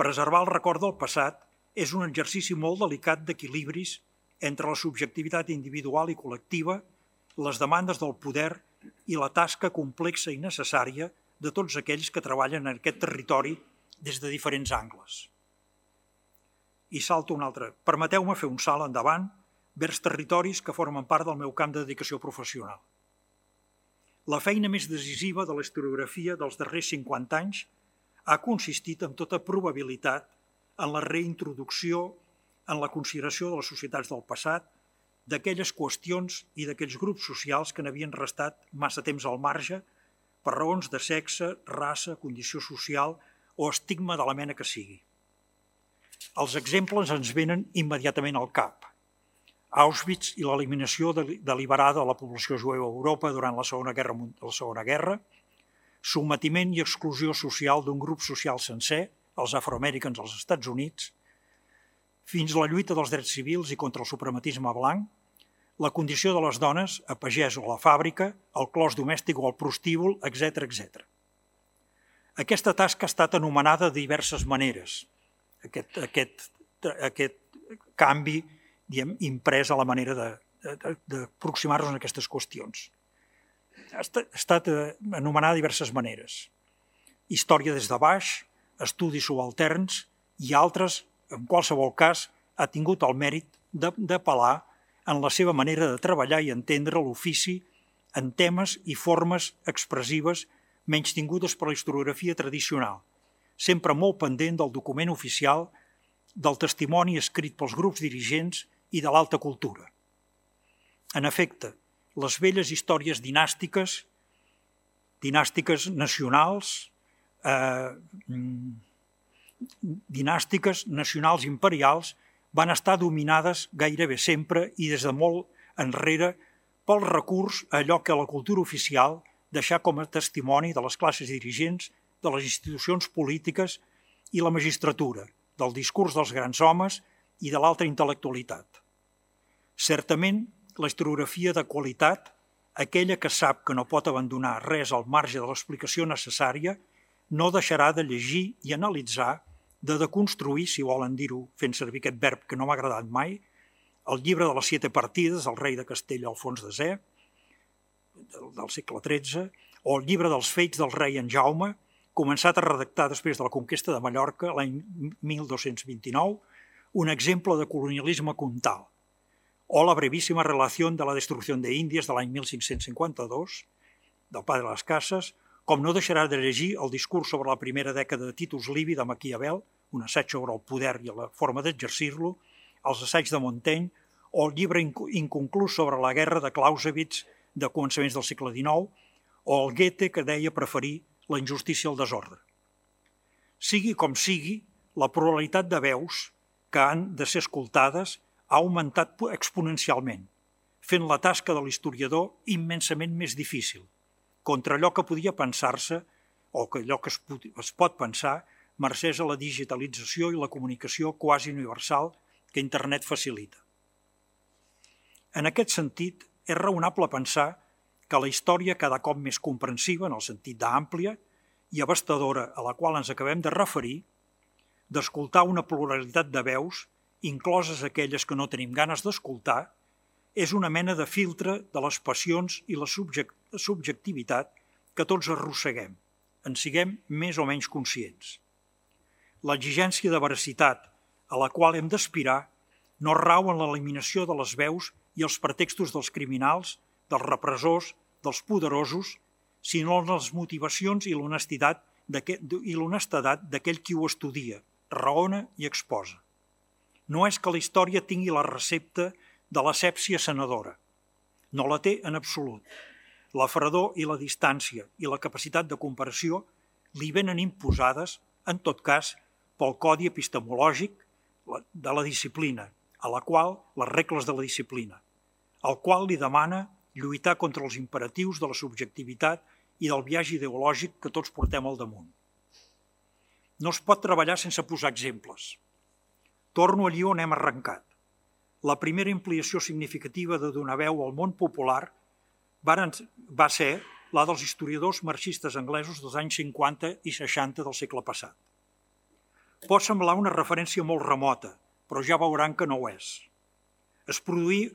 preservar el record del passat és un exercici molt delicat d'equilibris entre la subjectivitat individual i col·lectiva, les demandes del poder i la tasca complexa i necessària de tots aquells que treballen en aquest territori des de diferents angles. I salto un altre. Permeteu-me fer un salt endavant vers territoris que formen part del meu camp de dedicació professional. La feina més decisiva de la historiografia dels darrers cinquanta anys ha consistit amb tota probabilitat en la reintroducció en la consideració de les societats del passat, d'aquelles qüestions i d'aquells grups socials que n'havien restat massa temps al marge per raons de sexe, raça, condició social o estigma de la mena que sigui. Els exemples ens venen immediatament al cap. Auschwitz i l'eliminació deliberada de la població jueva a Europa durant la Segona Guerra, la Segona Guerra, sometiment i exclusió social d'un grup social sencer, els afroamericans als Estats Units, fins a la lluita dels drets civils i contra el suprematisme blanc, la condició de les dones, a pagès o a la fàbrica, el clos domèstic o el prostíbul, etcètera, etcètera. Aquesta tasca ha estat anomenada de diverses maneres, aquest, aquest, aquest canvi diguem, imprès a la manera d'aproximar-nos a aquestes qüestions. Ha estat anomenada de diverses maneres. Història des de baix, estudis subalterns i altres, en qualsevol cas, ha tingut el mèrit d'apel·lar en la seva manera de treballar i entendre l'ofici en temes i formes expressives menys tingudes per la historiografia tradicional, sempre molt pendent del document oficial, del testimoni escrit pels grups dirigents i de l'alta cultura. En efecte, les velles històries dinàstiques, dinàstiques nacionals, eh, dinàstiques nacionals imperials, van estar dominades gairebé sempre i des de molt enrere pel recurs a allò que la cultura oficial deixà com a testimoni de les classes dirigents, de les institucions polítiques i la magistratura, del discurs dels grans homes i de l'alta intel·lectualitat. Certament, la historiografia de qualitat, aquella que sap que no pot abandonar res al marge de l'explicació necessària, no deixarà de llegir i analitzar, de deconstruir, si volen dir-ho fent servir aquest verb que no m'ha agradat mai, el llibre de les siete partides del rei de Castella Alfons desè, del, del segle tretze, o el llibre dels fets del rei en Jaume, començat a redactar després de la conquesta de Mallorca l'any mil dos-cents vint-i-nou, un exemple de colonialisme comtal, o la brevíssima relació de la destrucció d'Índies de l'any mil cinc-cents cinquanta-dos, del Padre de les Cases, com no deixarà de llegir el discurs sobre la primera dècada de Titus Livi de Maquiavel, un assaig sobre el poder i la forma d'exercir-lo, els assaigs de Montaigne, o el llibre inconclús sobre la guerra de Clausewitz de començaments del segle dinou, o el Goethe que deia preferir la injustícia al desordre. Sigui com sigui, la pluralitat de veus que han de ser escoltades ha augmentat exponencialment, fent la tasca de l'historiador immensament més difícil, contra allò que podia pensar-se, o que allò que es, es pot pensar, mercès a la digitalització i la comunicació quasi universal que internet facilita. En aquest sentit, és raonable pensar que la història cada cop més comprensiva, en el sentit d'àmplia i abastadora a la qual ens acabem de referir, d'escoltar una pluralitat de veus, incloses aquelles que no tenim ganes d'escoltar, és una mena de filtre de les passions i la subjectivitat que tots arrosseguem, en siguem més o menys conscients. L'exigència de veracitat a la qual hem d'aspirar no rau en l'eliminació de les veus i els pretextos dels criminals, dels repressors, dels poderosos, sinó en les motivacions i l'honestedat d'aquell qui ho estudia, raona i exposa. No és que la història tingui la recepta de l'asèpsia sanadora. No la té en absolut. La fredor i la distància i la capacitat de comparació li venen imposades, en tot cas, pel codi epistemològic de la disciplina, a la qual, les regles de la disciplina, al qual li demana lluitar contra els imperatius de la subjectivitat i del viatge ideològic que tots portem al damunt. No es pot treballar sense posar exemples. Torno allí on hem arrencat. La primera ampliació significativa de donar veu al món popular va ser la dels historiadors marxistes anglesos dels anys cinquanta i seixanta del segle passat. Pot semblar una referència molt remota, però ja veuran que no ho és. Es produí,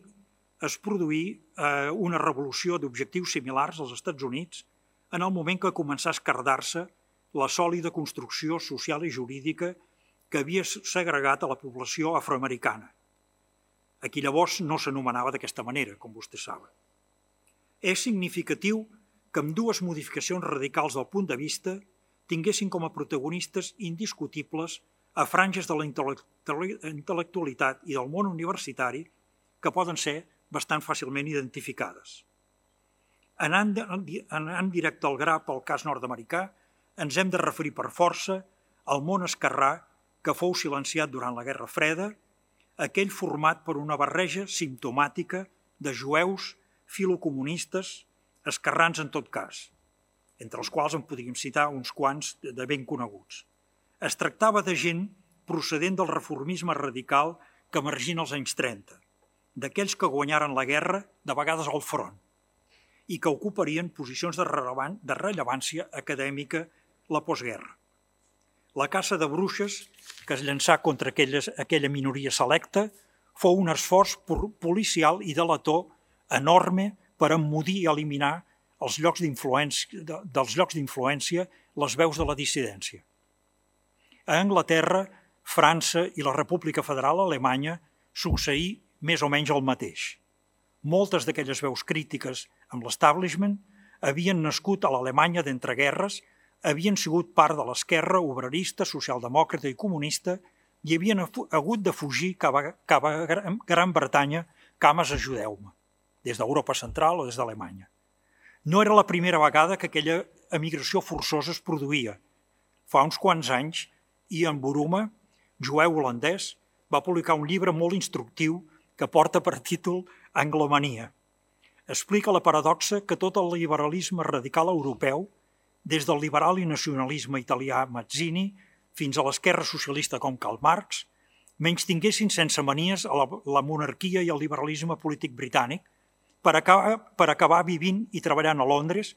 es produí eh, una revolució d'objectius similars als Estats Units en el moment que començà a esquerdar-se la sòlida construcció social i jurídica que havia segregat a la població afroamericana. Aquí llavors no s'anomenava d'aquesta manera, com vostès saben. És significatiu que amb dues modificacions radicals del punt de vista tinguessin com a protagonistes indiscutibles a franges de la intel·lectualitat i del món universitari que poden ser bastant fàcilment identificades. Anant, anant directe al gra pel cas nord-americà, ens hem de referir per força al món esquerrà que fou silenciat durant la Guerra Freda, aquell format per una barreja simptomàtica de jueus, filocomunistes, esquerrans en tot cas, entre els quals en podríem citar uns quants de ben coneguts. Es tractava de gent procedent del reformisme radical que emergien als anys trenta, d'aquells que guanyaren la guerra, de vegades al front, i que ocuparien posicions de, rellevant, de rellevància acadèmica la postguerra. La caça de bruixes que es llançà contra aquelles, aquella minoria selecta fou un esforç policial i delator enorme per emmudir i eliminar els llocs d'influència, dels llocs d'influència les veus de la dissidència. A Anglaterra, França i la República Federal Alemanya succeí més o menys el mateix. Moltes d'aquelles veus crítiques amb l'establishment havien nascut a l'Alemanya d'entreguerres, havien sigut part de l'esquerra obrerista, socialdemòcrata i comunista i havien hagut de fugir cap a, cap a Gran Bretanya, cames ajudeu-me, des d'Europa Central o des d'Alemanya. No era la primera vegada que aquella emigració forçosa es produïa. Fa uns quants anys, Ian Buruma, jueu holandès, va publicar un llibre molt instructiu que porta per títol Anglomania. Explica la paradoxa que tot el liberalisme radical europeu, des del liberal i nacionalisme italià Mazzini fins a l'esquerra socialista com Karl Marx, menystinguessin sense manies a la, la monarquia i el liberalisme polític britànic per acabar, per acabar vivint i treballant a Londres,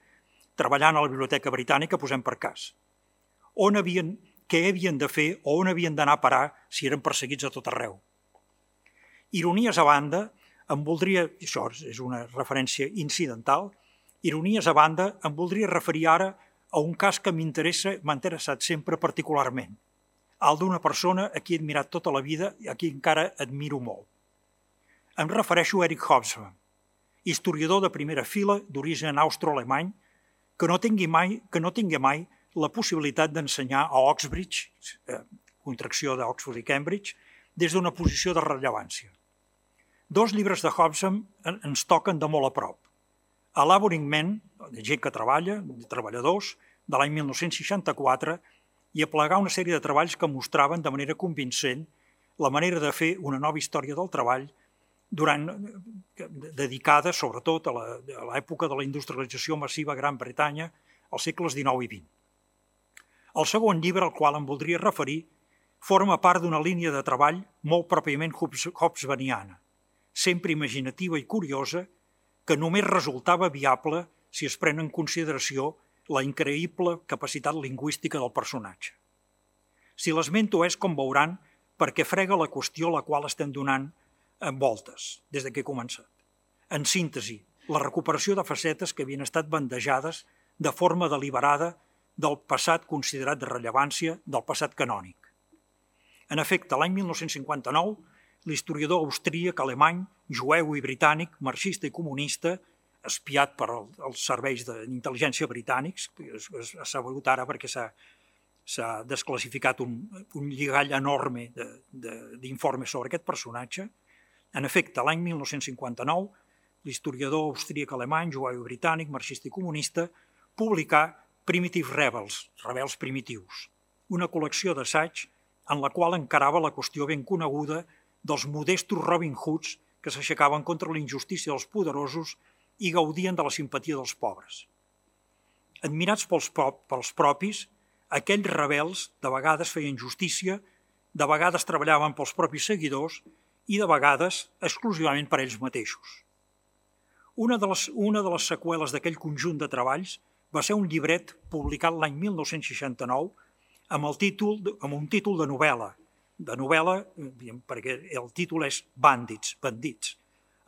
treballant a la Biblioteca Britànica, posem per cas. On havien, què havien de fer o on havien d'anar a parar si eren perseguits a tot arreu. Ironies a banda, em voldria, això és una referència incidental, ironies a banda, em voldria referir ara a un cas que m'interessa, m'ha interessat sempre particularment, el d'una persona a qui he admirat tota la vida i a qui encara admiro molt. Em refereixo a Eric Hobsbawm, historiador de primera fila d'origen austro-alemany, que no tingui mai, que no tingui mai la possibilitat d'ensenyar a Oxbridge, eh, contracció d'Oxford i Cambridge, des d'una posició de rellevància. Dos llibres de Hobsbawm ens toquen de molt a prop. Elaboring Men, de gent que treballa, de treballadors, de l'any mil nou-cents seixanta-quatre, i aplegar una sèrie de treballs que mostraven de manera convincent la manera de fer una nova història del treball durant, dedicada sobretot a l'època de la industrialització massiva a Gran Bretanya als segles dinou i vint. El segon llibre, al qual em voldria referir, forma part d'una línia de treball molt pròpiament hobsbawmiana, sempre imaginativa i curiosa, que només resultava viable si es pren en consideració la increïble capacitat lingüística del personatge. Si l'esmento és, com veuran, perquè frega la qüestió a la qual estem donant en voltes, des que he començat. En síntesi, la recuperació de facetes que havien estat bandejades de forma deliberada del passat considerat de rellevància, del passat canònic. En efecte, l'any mil nou-cents cinquanta-nou, l'historiador austríac, alemany, jueu i britànic, marxista i comunista, espiat per els serveis d'intel·ligència britànics, s'ha sabut ara perquè s'ha desclassificat un, un lligall enorme d'informes sobre aquest personatge. En efecte, l'any mil nou-cents cinquanta-nou, l'historiador austríac, alemany, jueu i britànic, marxista i comunista, publicà Primitive Rebels, rebels primitius, una col·lecció d'assaig en la qual encarava la qüestió ben coneguda dels modestos Robin Hoods que s'aixecaven contra la injustícia dels poderosos i gaudien de la simpatia dels pobres. Admirats pels, pels propis, aquells rebels de vegades feien justícia, de vegades treballaven pels propis seguidors i de vegades exclusivament per ells mateixos. Una de les, una de les seqüeles d'aquell conjunt de treballs va ser un llibret publicat l'any mil nou-cents seixanta-nou amb, el títol, amb un títol de novel·la, de novel·la, perquè el títol és Bandits, bandits,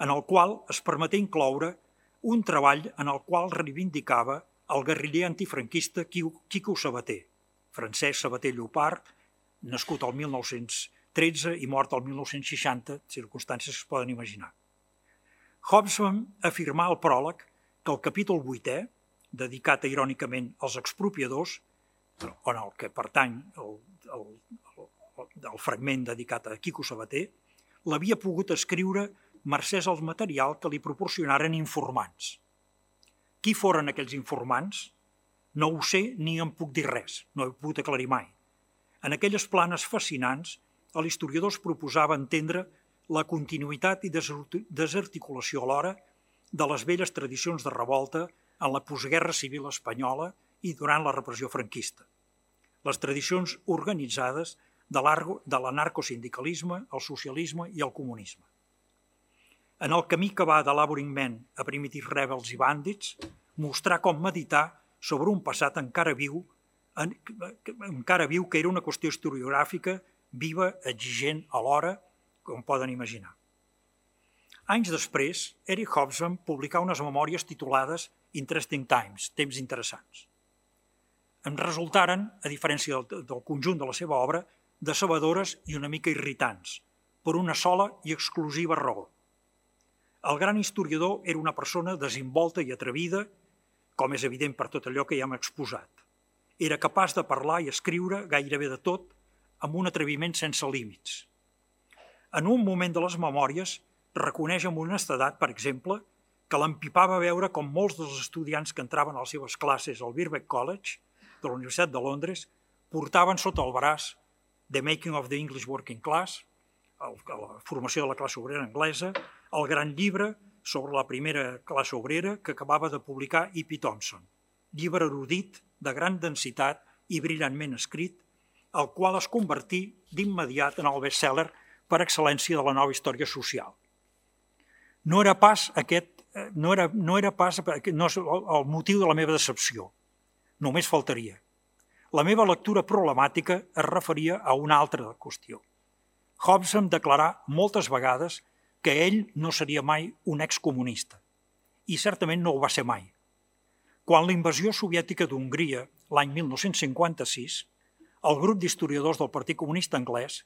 en el qual es permeté incloure un treball en el qual reivindicava el guerriller antifranquista Quico Sabater, Francesc Sabater Llopart, nascut el mil nou-cents tretze i mort el mil nou-cents seixanta, circumstàncies que es poden imaginar. Hobsbawm afirmà al pròleg que el capítol vuitè, dedicat irònicament als expropiadors, en el que pertany el, el, del fragment dedicat a Quico Sabater, l'havia pogut escriure mercès al material que li proporcionaren informants. Qui foren aquells informants? No ho sé ni en puc dir res, no he pogut aclarir mai. En aquelles planes fascinants, l'historiador es proposava entendre la continuïtat i desarticulació alhora de les velles tradicions de revolta en la postguerra civil espanyola i durant la repressió franquista. Les tradicions organitzades de l'anarcosindicalisme, el socialisme i el comunisme. En el camí que va de Laboring Men a Primitive Rebels i Bandits, mostrar com meditar sobre un passat encara viu, encara viu que era una qüestió historiogràfica viva, exigent alhora, com poden imaginar. Anys després, Eric Hobsbawm publicà unes memòries titulades Interesting Times, temps interessants. En resultaren, a diferència del, del conjunt de la seva obra, decebedores i una mica irritants, per una sola i exclusiva raó. El gran historiador era una persona desimbolta i atrevida, com és evident per tot allò que ja hem exposat. Era capaç de parlar i escriure gairebé de tot, amb un atreviment sense límits. En un moment de les memòries, reconeix amb honestedat, per exemple, que l'empipava veure com molts dels estudiants que entraven a les seves classes al Birkbeck College, de la Universitat de Londres, portaven sota el braç The Making of the English Working Class, la formació de la classe obrera anglesa, el gran llibre sobre la primera classe obrera que acabava de publicar E P Thompson, llibre erudit, de gran densitat i brillantment escrit, el qual es convertí d'immediat en el best-seller per excel·lència de la nova història social. No era pas aquest, no era, no era pas no és el motiu de la meva decepció. Només faltaria. La meva lectura problemàtica es referia a una altra qüestió. Hobsbawm declarà moltes vegades que ell no seria mai un excomunista, i certament no ho va ser mai. Quan la invasió soviètica d'Hongria, l'any mil nou-cents cinquanta-sis, el grup d'historiadors del Partit Comunista Anglès,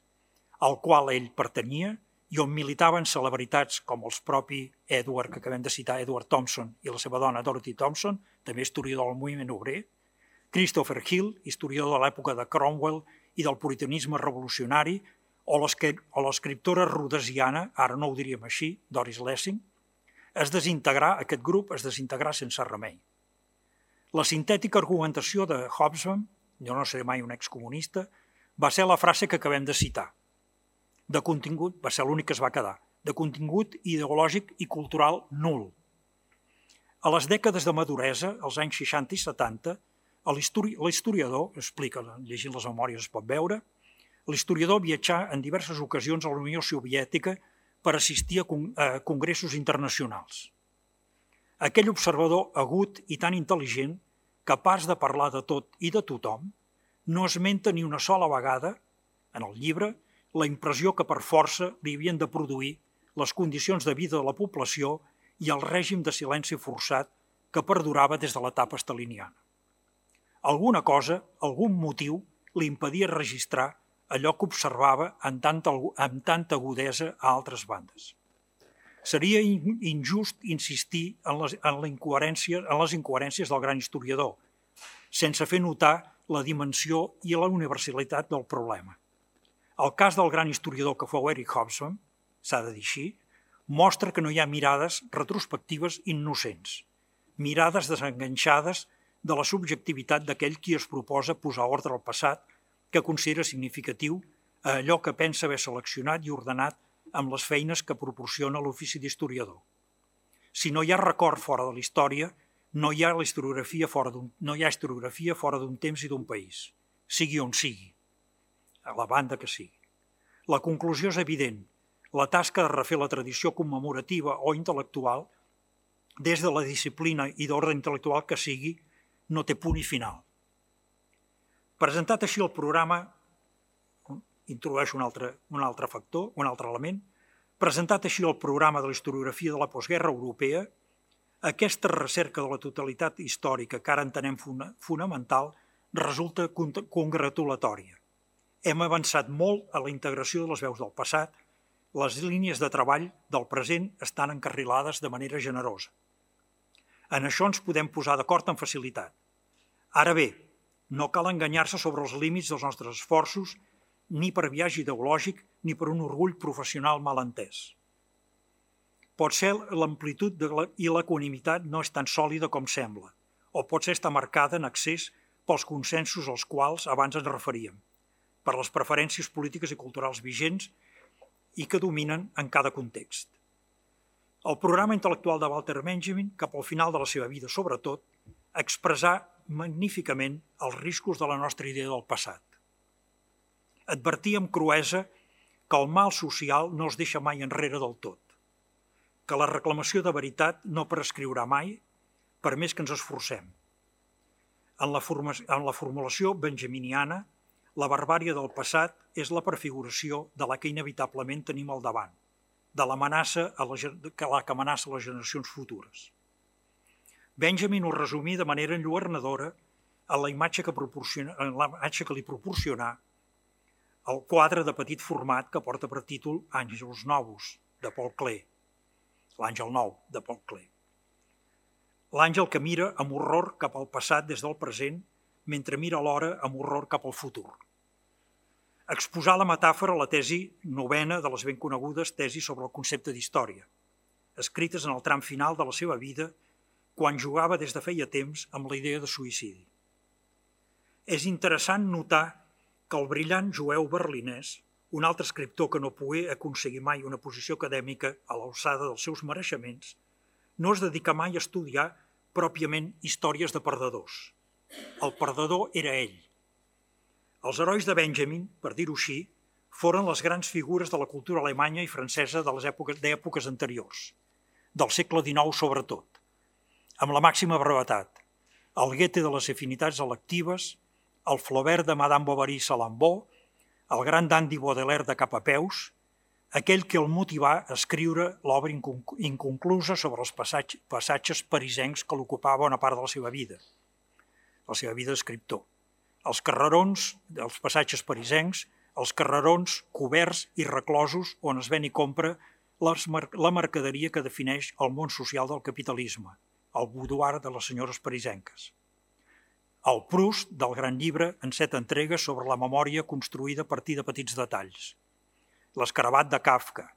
al qual ell pertanyia i on militaven celebritats com els propi Edward, que acabem de citar, Edward Thompson, i la seva dona Dorothy Thompson, també historiador del moviment obrer, Christopher Hill, historiador de l'època de Cromwell i del puritanisme revolucionari, o l'escriptora rodesiana, ara no ho diríem així, Doris Lessing, es desintegrà, aquest grup es desintegrà sense remei. La sintètica argumentació de Hobsbawm, jo no seré mai un excomunista, va ser la frase que acabem de citar. De contingut, va ser l'únic que es va quedar, de contingut ideològic i cultural nul. A les dècades de maduresa, als anys seixanta i setanta, l'historiador, explica, llegint les memòries es pot veure, l'historiador viatjà en diverses ocasions a la Unió Soviètica per assistir a congressos internacionals. Aquell observador agut i tan intel·ligent, capaç de parlar de tot i de tothom, no esmenta ni una sola vegada, en el llibre, la impressió que per força li havien de produir les condicions de vida de la població i el règim de silenci forçat que perdurava des de l'etapa staliniana. Alguna cosa, algun motiu, li impedia registrar allò que observava amb tanta, amb tanta agudesa a altres bandes. Seria injust insistir en les, en, la incoherència, en les incoherències del gran historiador, sense fer notar la dimensió i la universalitat del problema. El cas del gran historiador que fou Eric Hobsbawm, s'ha de dir així, mostra que no hi ha mirades retrospectives innocents, mirades desenganxades de la subjectivitat d'aquell qui es proposa posar ordre al passat que considera significatiu a allò que pensa haver seleccionat i ordenat amb les feines que proporciona l'ofici d'historiador. Si no hi ha record fora de la història, no hi ha la historiografia fora d'un, no hi ha historiografia fora d'un temps i d'un país, sigui on sigui, a la banda que sigui. La conclusió és evident. La tasca de refer la tradició commemorativa o intel·lectual, des de la disciplina i d'ordre intel·lectual que sigui, no té punt i final. Presentat així el programa, introdueix un altre, un altre factor, un altre element, presentat així el programa de la historiografia de la postguerra europea, aquesta recerca de la totalitat històrica que ara entenem fonamental resulta congratulatòria. Hem avançat molt a la integració de les veus del passat, les línies de treball del present estan encarrilades de manera generosa. En això ens podem posar d'acord amb facilitat. Ara bé, no cal enganyar-se sobre els límits dels nostres esforços ni per viatge ideològic ni per un orgull professional mal entès. Potser l'amplitud i l'equanimitat no és tan sòlida com sembla, o potser està marcada en excés pels consensos als quals abans ens referíem, per les preferències polítiques i culturals vigents i que dominen en cada context. El programa intel·lectual de Walter Benjamin, cap al final de la seva vida sobretot, expressà magníficament els riscos de la nostra idea del passat. Advertia amb cruesa que el mal social no es deixa mai enrere del tot, que la reclamació de veritat no prescriurà mai, per més que ens esforcem. En la, en la formulació benjaminiana, la barbària del passat és la prefiguració de la que inevitablement tenim al davant, de l'amenaça que la que amenaça les generacions futures. Benjamin ho resumí de manera enlluernadora en la imatge que, en la imatge que li proporcionà el quadre de petit format que porta per títol Àngels Novus, de Paul Klee. L'Àngel Nou, de Paul Klee. L'àngel que mira amb horror cap al passat des del present, mentre mira alhora amb horror cap al futur. Exposar la metàfora a la tesi novena de les ben conegudes tesis sobre el concepte d'història, escrites en el tram final de la seva vida, quan jugava des de feia temps amb la idea de suïcidi. És interessant notar que el brillant jueu berlinès, un altre escriptor que no pogué aconseguir mai una posició acadèmica a l'alçada dels seus mereixements, no es dedica mai a estudiar pròpiament històries de perdedors. El perdedor era ell. Els herois de Benjamin, per dir-ho així, foren les grans figures de la cultura alemanya i francesa de les èpoques, d'èpoques anteriors, del segle dinou sobretot, amb la màxima brevetat, el Goethe de les afinitats electives, el Flaubert de Madame Bovary Salambó, el gran dandy Baudelaire de cap a peus, aquell que el motivà a escriure l'obra inconclusa sobre els passatges parisencs que l'ocupava una part de la seva vida, la seva vida d'escriptor. Els carrerons dels passatges parisencs, els carrerons coberts i reclosos on es ven i compra la mercaderia que defineix el món social del capitalisme, el boudoir de les senyores parisenques. El Proust del gran llibre en set entregues sobre la memòria construïda a partir de petits detalls. L'Escarabat de Kafka.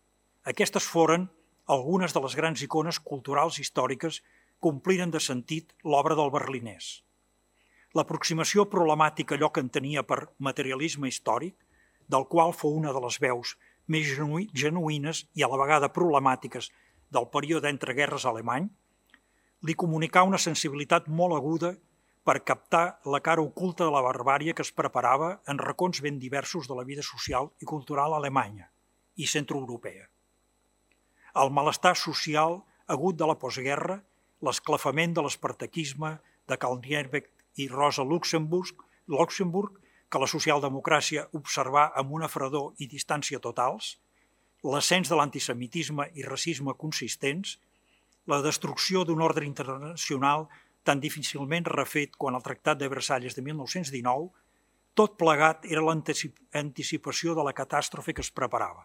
Aquestes foren algunes de les grans icones culturals històriques que ompliren de sentit l'obra del berlinès. L'aproximació problemàtica allò que entenia per materialisme històric, del qual fou una de les veus més genuïnes i a la vegada problemàtiques del període entre guerres alemany, li comunicà una sensibilitat molt aguda per captar la cara oculta de la barbària que es preparava en racons ben diversos de la vida social i cultural alemanya i centroeuropea. El malestar social agut de la postguerra, l'esclafament de l'espartaquisme de Karl Liebknecht i Rosa Luxemburg, Luxemburg, que la socialdemocràcia observà amb una fredor i distància totals, l'ascens de l'antisemitisme i racisme consistents, la destrucció d'un ordre internacional tan difícilment refet quan el Tractat de Versalles de mil nou-cents dinou, tot plegat era l'anticipació de la catàstrofe que es preparava.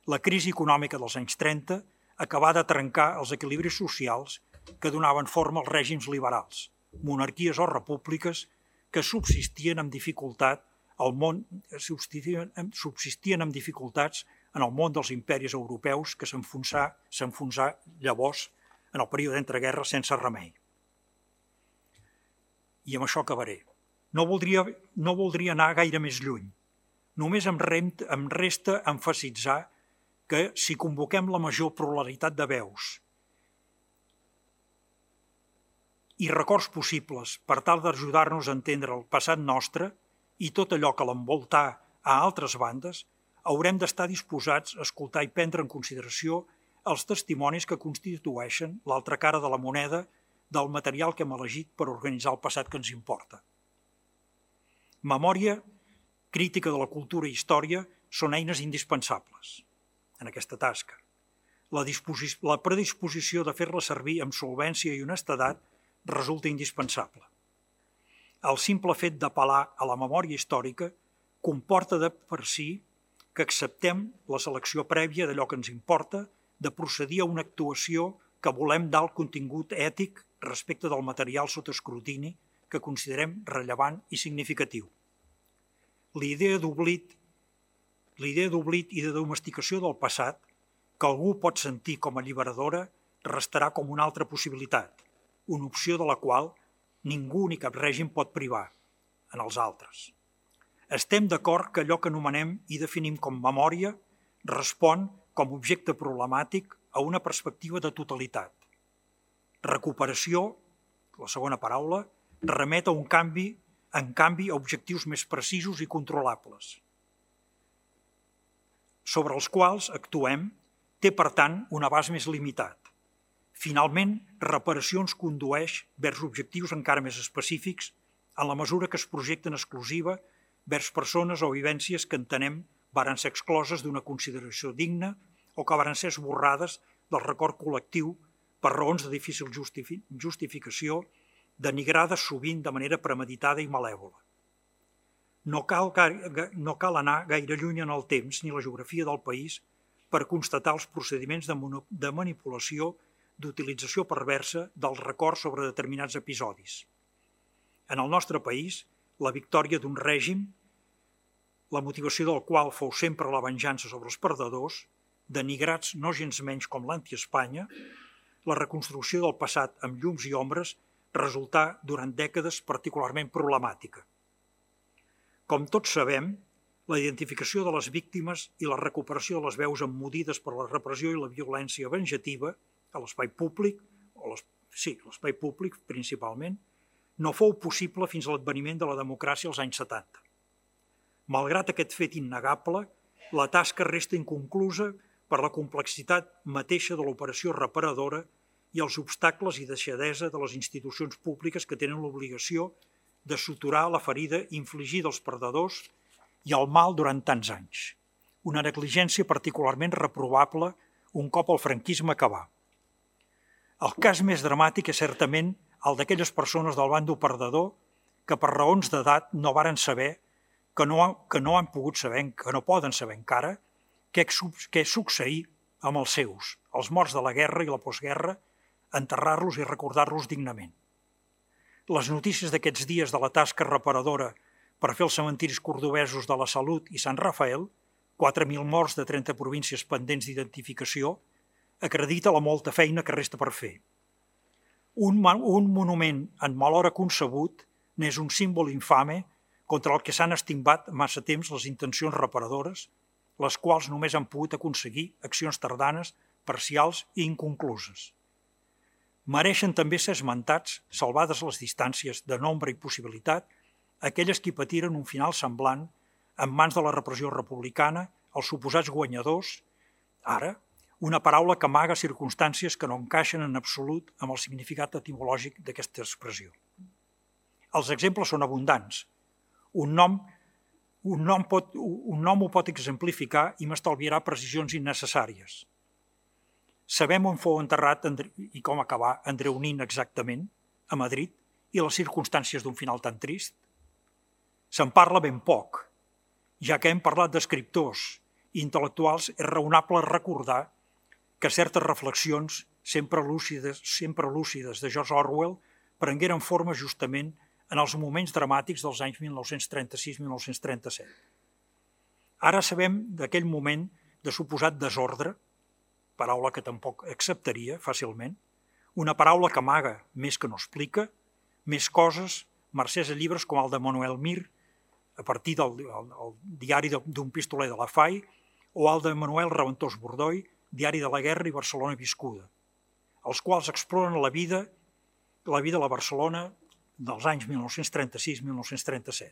La crisi econòmica dels anys trenta acabà de trencar els equilibris socials que donaven forma als règims liberals, monarquies o repúbliques que subsistien amb dificultat al món, subsistien, subsistien amb dificultats en el món dels imperis europeus que s'enfonsà, s'enfonsà llavors en el període d'entreguerres sense remei. I amb això acabaré. No voldria, no voldria anar gaire més lluny. Només em, rem, em resta emfasitzar que si convoquem la major pluralitat de veus i records possibles per tal d'ajudar-nos a entendre el passat nostre i tot allò que l'envoltà a altres bandes, haurem d'estar disposats a escoltar i prendre en consideració els testimonis que constitueixen l'altra cara de la moneda del material que hem elegit per organitzar el passat que ens importa. Memòria, crítica de la cultura i història són eines indispensables en aquesta tasca. La, la predisposició de fer-la servir amb solvència i honestedat resulta indispensable. El simple fet d'apel·lar a la memòria històrica comporta de per si que acceptem la selecció prèvia d'allò que ens importa, de procedir a una actuació que volem d'alt contingut ètic respecte del material sota escrutini que considerem rellevant i significatiu. La idea d'oblit la idea d'oblit i de domesticació del passat, que algú pot sentir com a alliberadora, restarà com una altra possibilitat, una opció de la qual ningú ni cap règim pot privar, en els altres. Estem d'acord que allò que anomenem i definim com memòria respon com a objecte problemàtic a una perspectiva de totalitat. Recuperació, la segona paraula, remet a un canvi, en canvi a objectius més precisos i controlables, sobre els quals actuem, té, per tant, un abast més limitat. Finalment, reparació ens condueix vers objectius encara més específics en la mesura que es projecten exclusiva vers persones o vivències que entenem varen ser excloses d'una consideració digna o que varen ser esborrades del record col·lectiu per raons de difícil justifi- justificació, denigrades sovint de manera premeditada i malèvola. No cal, no cal anar gaire lluny en el temps ni la geografia del país per constatar els procediments de, de manipulació d'utilització perversa del record sobre determinats episodis. En el nostre país, la victòria d'un règim, la motivació del qual fou sempre la venjança sobre els perdedors, denigrats no gens menys com l'anti-Espanya, la reconstrucció del passat amb llums i ombres resultà durant dècades particularment problemàtica. Com tots sabem, la identificació de les víctimes i la recuperació de les veus emmudides per la repressió i la violència venjativa a l'espai públic, o les, sí, l'espai públic principalment, no fou possible fins a l'adveniment de la democràcia als anys setanta. Malgrat aquest fet innegable, la tasca resta inconclusa per la complexitat mateixa de l'operació reparadora i els obstacles i deixadesa de les institucions públiques que tenen l'obligació de suturar la ferida infligida als perdedors i el mal durant tants anys. Una negligència particularment reprovable un cop el franquisme acabà. El cas més dramàtic és certament el d'aquelles persones del bàndol perdedor que per raons d'edat no varen saber, que no, que no han pogut saber, que no poden saber encara, què, què succeir amb els seus, els morts de la guerra i la postguerra, enterrar-los i recordar-los dignament. Les notícies d'aquests dies de la tasca reparadora per fer els cementiris cordobesos de la Salut i Sant Rafael, quatre mil morts de trenta províncies pendents d'identificació, acredita la molta feina que resta per fer. Un, un monument en mal hora concebut n'és un símbol infame contra el que s'han estimbat massa temps les intencions reparadores, les quals només han pogut aconseguir accions tardanes, parcials i inconcluses. Mereixen també ser esmentats, salvades les distàncies de nombre i possibilitat, aquelles que patiren un final semblant en mans de la repressió republicana, els suposats guanyadors, ara, una paraula que amaga circumstàncies que no encaixen en absolut amb el significat etimològic d'aquesta expressió. Els exemples són abundants. Un nom, un nom, pot, un nom ho pot exemplificar i m'estalviarà precisions innecessàries. Sabem on fou enterrat i com acabà Andreu Nin exactament, a Madrid, i les circumstàncies d'un final tan trist? Se'n parla ben poc. Ja que hem parlat d'escriptors i intel·lectuals, és raonable recordar que certes reflexions sempre lúcides, sempre lúcides de George Orwell prengueren forma justament en els moments dramàtics dels anys mil nou-cents trenta-sis a mil nou-cents trenta-set. Ara sabem d'aquell moment de suposat desordre, paraula que tampoc acceptaria fàcilment, una paraula que amaga més que no explica, més coses, mercès a llibres com el de Manuel Mir, a partir del el, el diari d'un pistoler de la F A I, o el de Manuel Reventós Bordoi, Diari de la Guerra i Barcelona Viscuda, els quals exploren la vida, la vida a la Barcelona dels anys mil nou-cents trenta-sis a mil nou-cents trenta-set.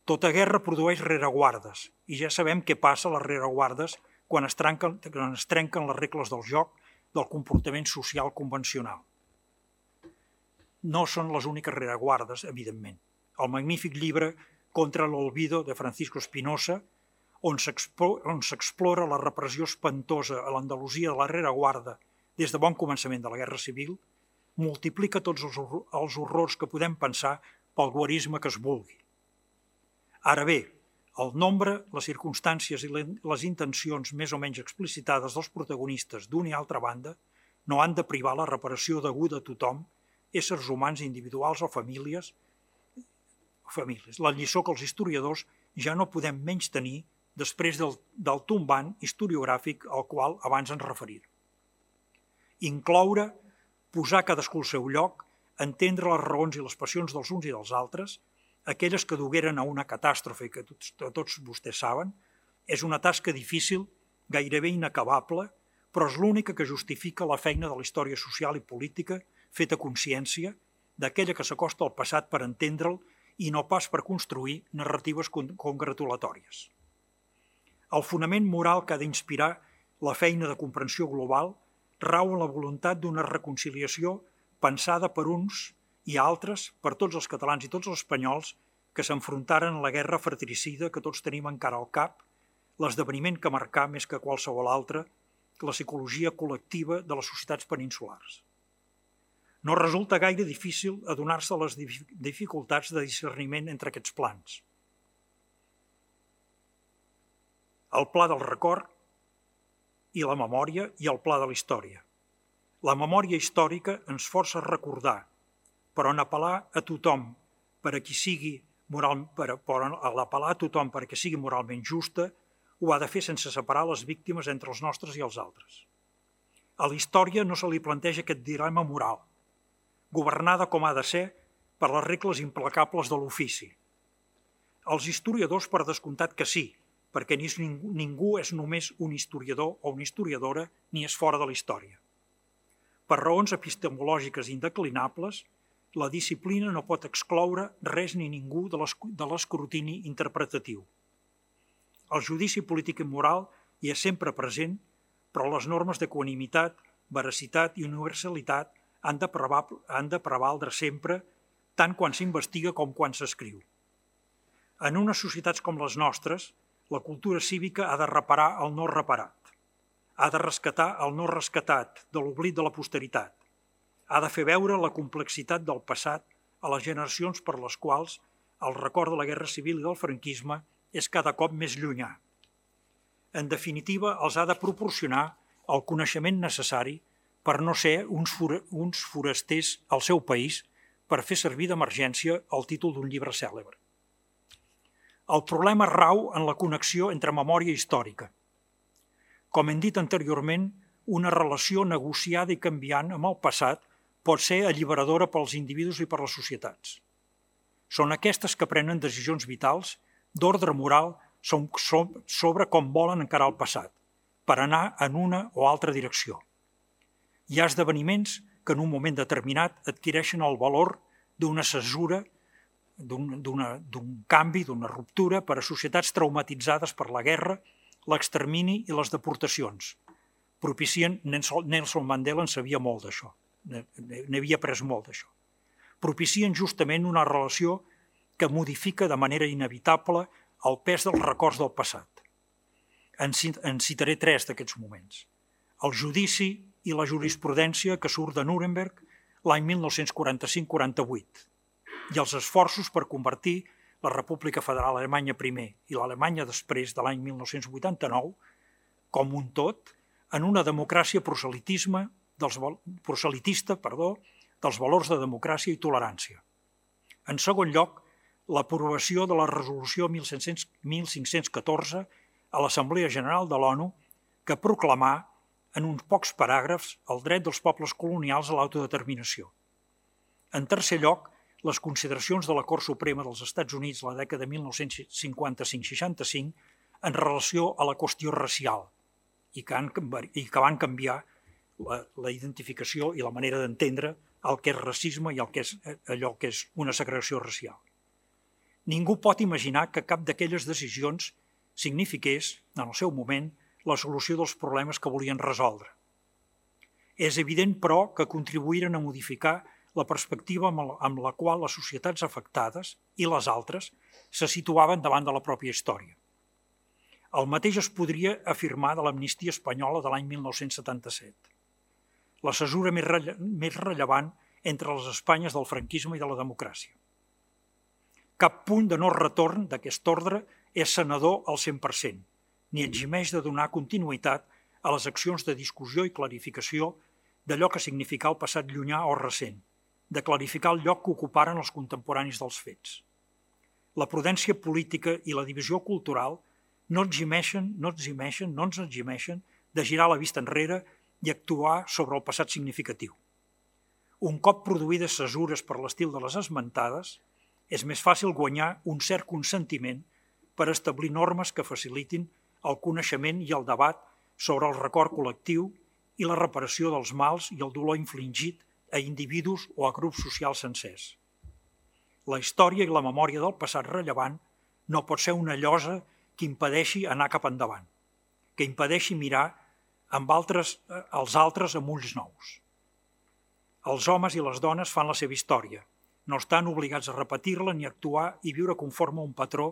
Tota guerra produeix rereguardes, i ja sabem què passa a les rereguardes quan es trenquen, quan es trenquen les regles del joc del comportament social convencional. No són les úniques rereguardes, evidentment. El magnífic llibre Contra l'olvido de Francisco Espinosa, on s'explora la repressió espantosa a l'Andalusia de la rereguarda des de bon començament de la Guerra Civil, multiplica tots els, els horrors que podem pensar pel guarisme que es vulgui. Ara bé, el nombre, les circumstàncies i les intencions més o menys explicitades dels protagonistes d'una i altra banda no han de privar la reparació deguda a tothom, éssers humans individuals o famílies, famílies. La lliçó que els historiadors ja no podem menys tenir després del, del tombant historiogràfic al qual abans ens referir. Incloure, posar cadascú al seu lloc, entendre les raons i les passions dels uns i dels altres, aquelles que dugueren a una catàstrofe que tots, tots vostès saben, és una tasca difícil, gairebé inacabable, però és l'única que justifica la feina de la història social i política feta a consciència, d'aquella que s'acosta al passat per entendre'l i no pas per construir narratives congratulatòries. El fonament moral que ha d'inspirar la feina de comprensió global rau en la voluntat d'una reconciliació pensada per uns i altres, per tots els catalans i tots els espanyols, que s'enfrontaren a la guerra fratricida que tots tenim encara al cap, l'esdeveniment que marcà més que qualsevol altre la psicologia col·lectiva de les societats peninsulars. No resulta gaire difícil adonar-se a les dificultats de discerniment entre aquests plans. El pla del record i la memòria i el pla de la història. La memòria històrica ens força a recordar, però en apel·lar a tothom per a qui sigui moral, per, per a l'apel·lar a tothom perquè sigui moralment justa, ho ha de fer sense separar les víctimes entre els nostres i els altres. A la història no se li planteja aquest dilema moral, governada com ha de ser per les regles implacables de l'ofici. Els historiadors, per descomptat que sí, perquè ningú, ningú és només un historiador o una historiadora ni és fora de la història. Per raons epistemològiques indeclinables, la disciplina no pot excloure res ni ningú de l'escrutini interpretatiu. El judici polític i moral hi és sempre present, però les normes d'equanimitat, veracitat i universalitat han de, han de prevaldre sempre, tant quan s'investiga com quan s'escriu. En unes societats com les nostres, la cultura cívica ha de reparar el no reparat, ha de rescatar el no rescatat de l'oblit de la posteritat, ha de fer veure la complexitat del passat a les generacions per les quals el record de la Guerra Civil i del franquisme és cada cop més llunyà. En definitiva, els ha de proporcionar el coneixement necessari per no ser uns, for uns forasters al seu país per fer servir d'emergència el títol d'un llibre cèlebre. El problema rau en la connexió entre memòria històrica. Com hem dit anteriorment, una relació negociada i canviant amb el passat pot ser alliberadora pels individus i per les societats. Són aquestes que prenen decisions vitals d'ordre moral sobre com volen encarar el passat, per anar en una o altra direcció. Hi ha esdeveniments que en un moment determinat adquireixen el valor d'una cesura, d'un canvi, d'una ruptura per a societats traumatitzades per la guerra, l'extermini i les deportacions. Propicien, Nelson Mandela en sabia molt d'això, n'havia après molt d'això. Propicien justament una relació que modifica de manera inevitable el pes dels records del passat. En citaré tres d'aquests moments. El judici i la jurisprudència que surt de Nuremberg l'any mil nou-cents quaranta-cinc quaranta-vuit i els esforços per convertir la República Federal Alemanya primer i l'Alemanya després de l'any mil nou-cents vuitanta-nou com un tot en una democràcia proselitisme dels, proselitista perdó, dels valors de democràcia i tolerància. En segon lloc, l'aprovació de la resolució mil cinc-cents catorze a l'Assemblea General de l'ONU que proclamà en uns pocs paràgrafs el dret dels pobles colonials a l'autodeterminació. En tercer lloc, les consideracions de la Cort Suprema dels Estats Units la dècada de mil nou-cents cinquanta-cinc seixanta-cinc en relació a la qüestió racial i que, han, i que van canviar la, la identificació i la manera d'entendre el que és racisme i el que és allò que és una segregació racial. Ningú pot imaginar que cap d'aquelles decisions signifiqués, en el seu moment, la solució dels problemes que volien resoldre. És evident, però, que contribuïren a modificar la perspectiva amb la qual les societats afectades i les altres se situaven davant de la pròpia història. El mateix es podria afirmar de l'amnistia espanyola de l'any mil nou-cents setanta-set. La cesura més, relle més rellevant entre les Espanyes del franquisme i de la democràcia. Cap punt de no retorn d'aquest ordre és senador al cent per cent, ni eximeix de donar continuïtat a les accions de discussió i clarificació d'allò que significà el passat llunyà o recent, de clarificar el lloc que ocuparen els contemporanis dels fets. La prudència política i la divisió cultural no eximeixen, no eximeixen, no ens eximeixen de girar la vista enrere i actuar sobre el passat significatiu. Un cop produïdes cesures per l'estil de les esmentades, és més fàcil guanyar un cert consentiment per establir normes que facilitin el coneixement i el debat sobre el record col·lectiu i la reparació dels mals i el dolor infligit a individus o a grups socials sencers. La història i la memòria del passat rellevant no pot ser una llosa que impedeixi anar cap endavant, que impedeixi mirar amb altres, els altres amb ulls nous. Els homes i les dones fan la seva història, no estan obligats a repetir-la ni a actuar i viure conforme a un patró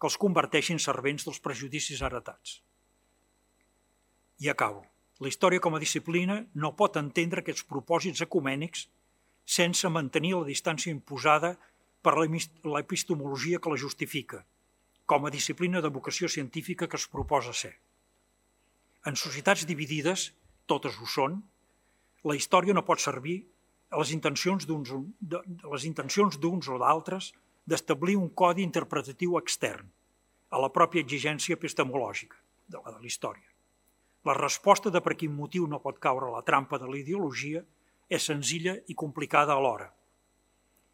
que els converteixi en servents dels prejudicis heretats. I acabo. La història com a disciplina no pot entendre aquests propòsits ecumènics sense mantenir la distància imposada per l'epistemologia que la justifica, com a disciplina de vocació científica que es proposa ser. En societats dividides, totes ho són, la història no pot servir a les intencions d'uns les intencions d'uns o d'altres d'establir un codi interpretatiu extern a la pròpia exigència epistemològica de la de la història. La resposta de per quin motiu no pot caure a la trampa de la ideologia és senzilla i complicada alhora.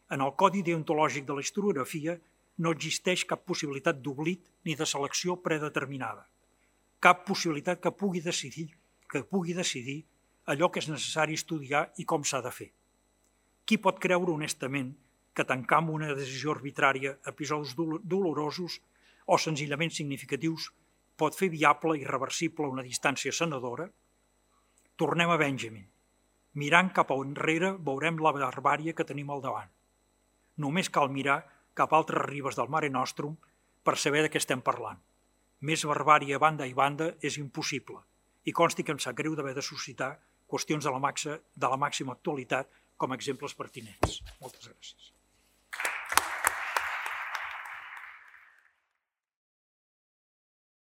En el codi deontològic de la historiografia no existeix cap possibilitat d'oblit ni de selecció predeterminada, cap possibilitat que pugui decidir, que pugui decidir allò que és necessari estudiar i com s'ha de fer. Qui pot creure honestament que tancar amb una decisió arbitrària episodis dolorosos o senzillament significatius pot fer viable i irreversible una distància sanadora? Tornem a Benjamin. Mirant cap a enrere veurem la barbàrie que tenim al davant. Només cal mirar cap a altres ribes del Mare Nostrum per saber de què estem parlant. Més barbàrie a banda i banda és impossible i consti que em sap greu d'haver de suscitar qüestions de la, maxa, de la màxima actualitat com a exemples pertinents. Moltes gràcies.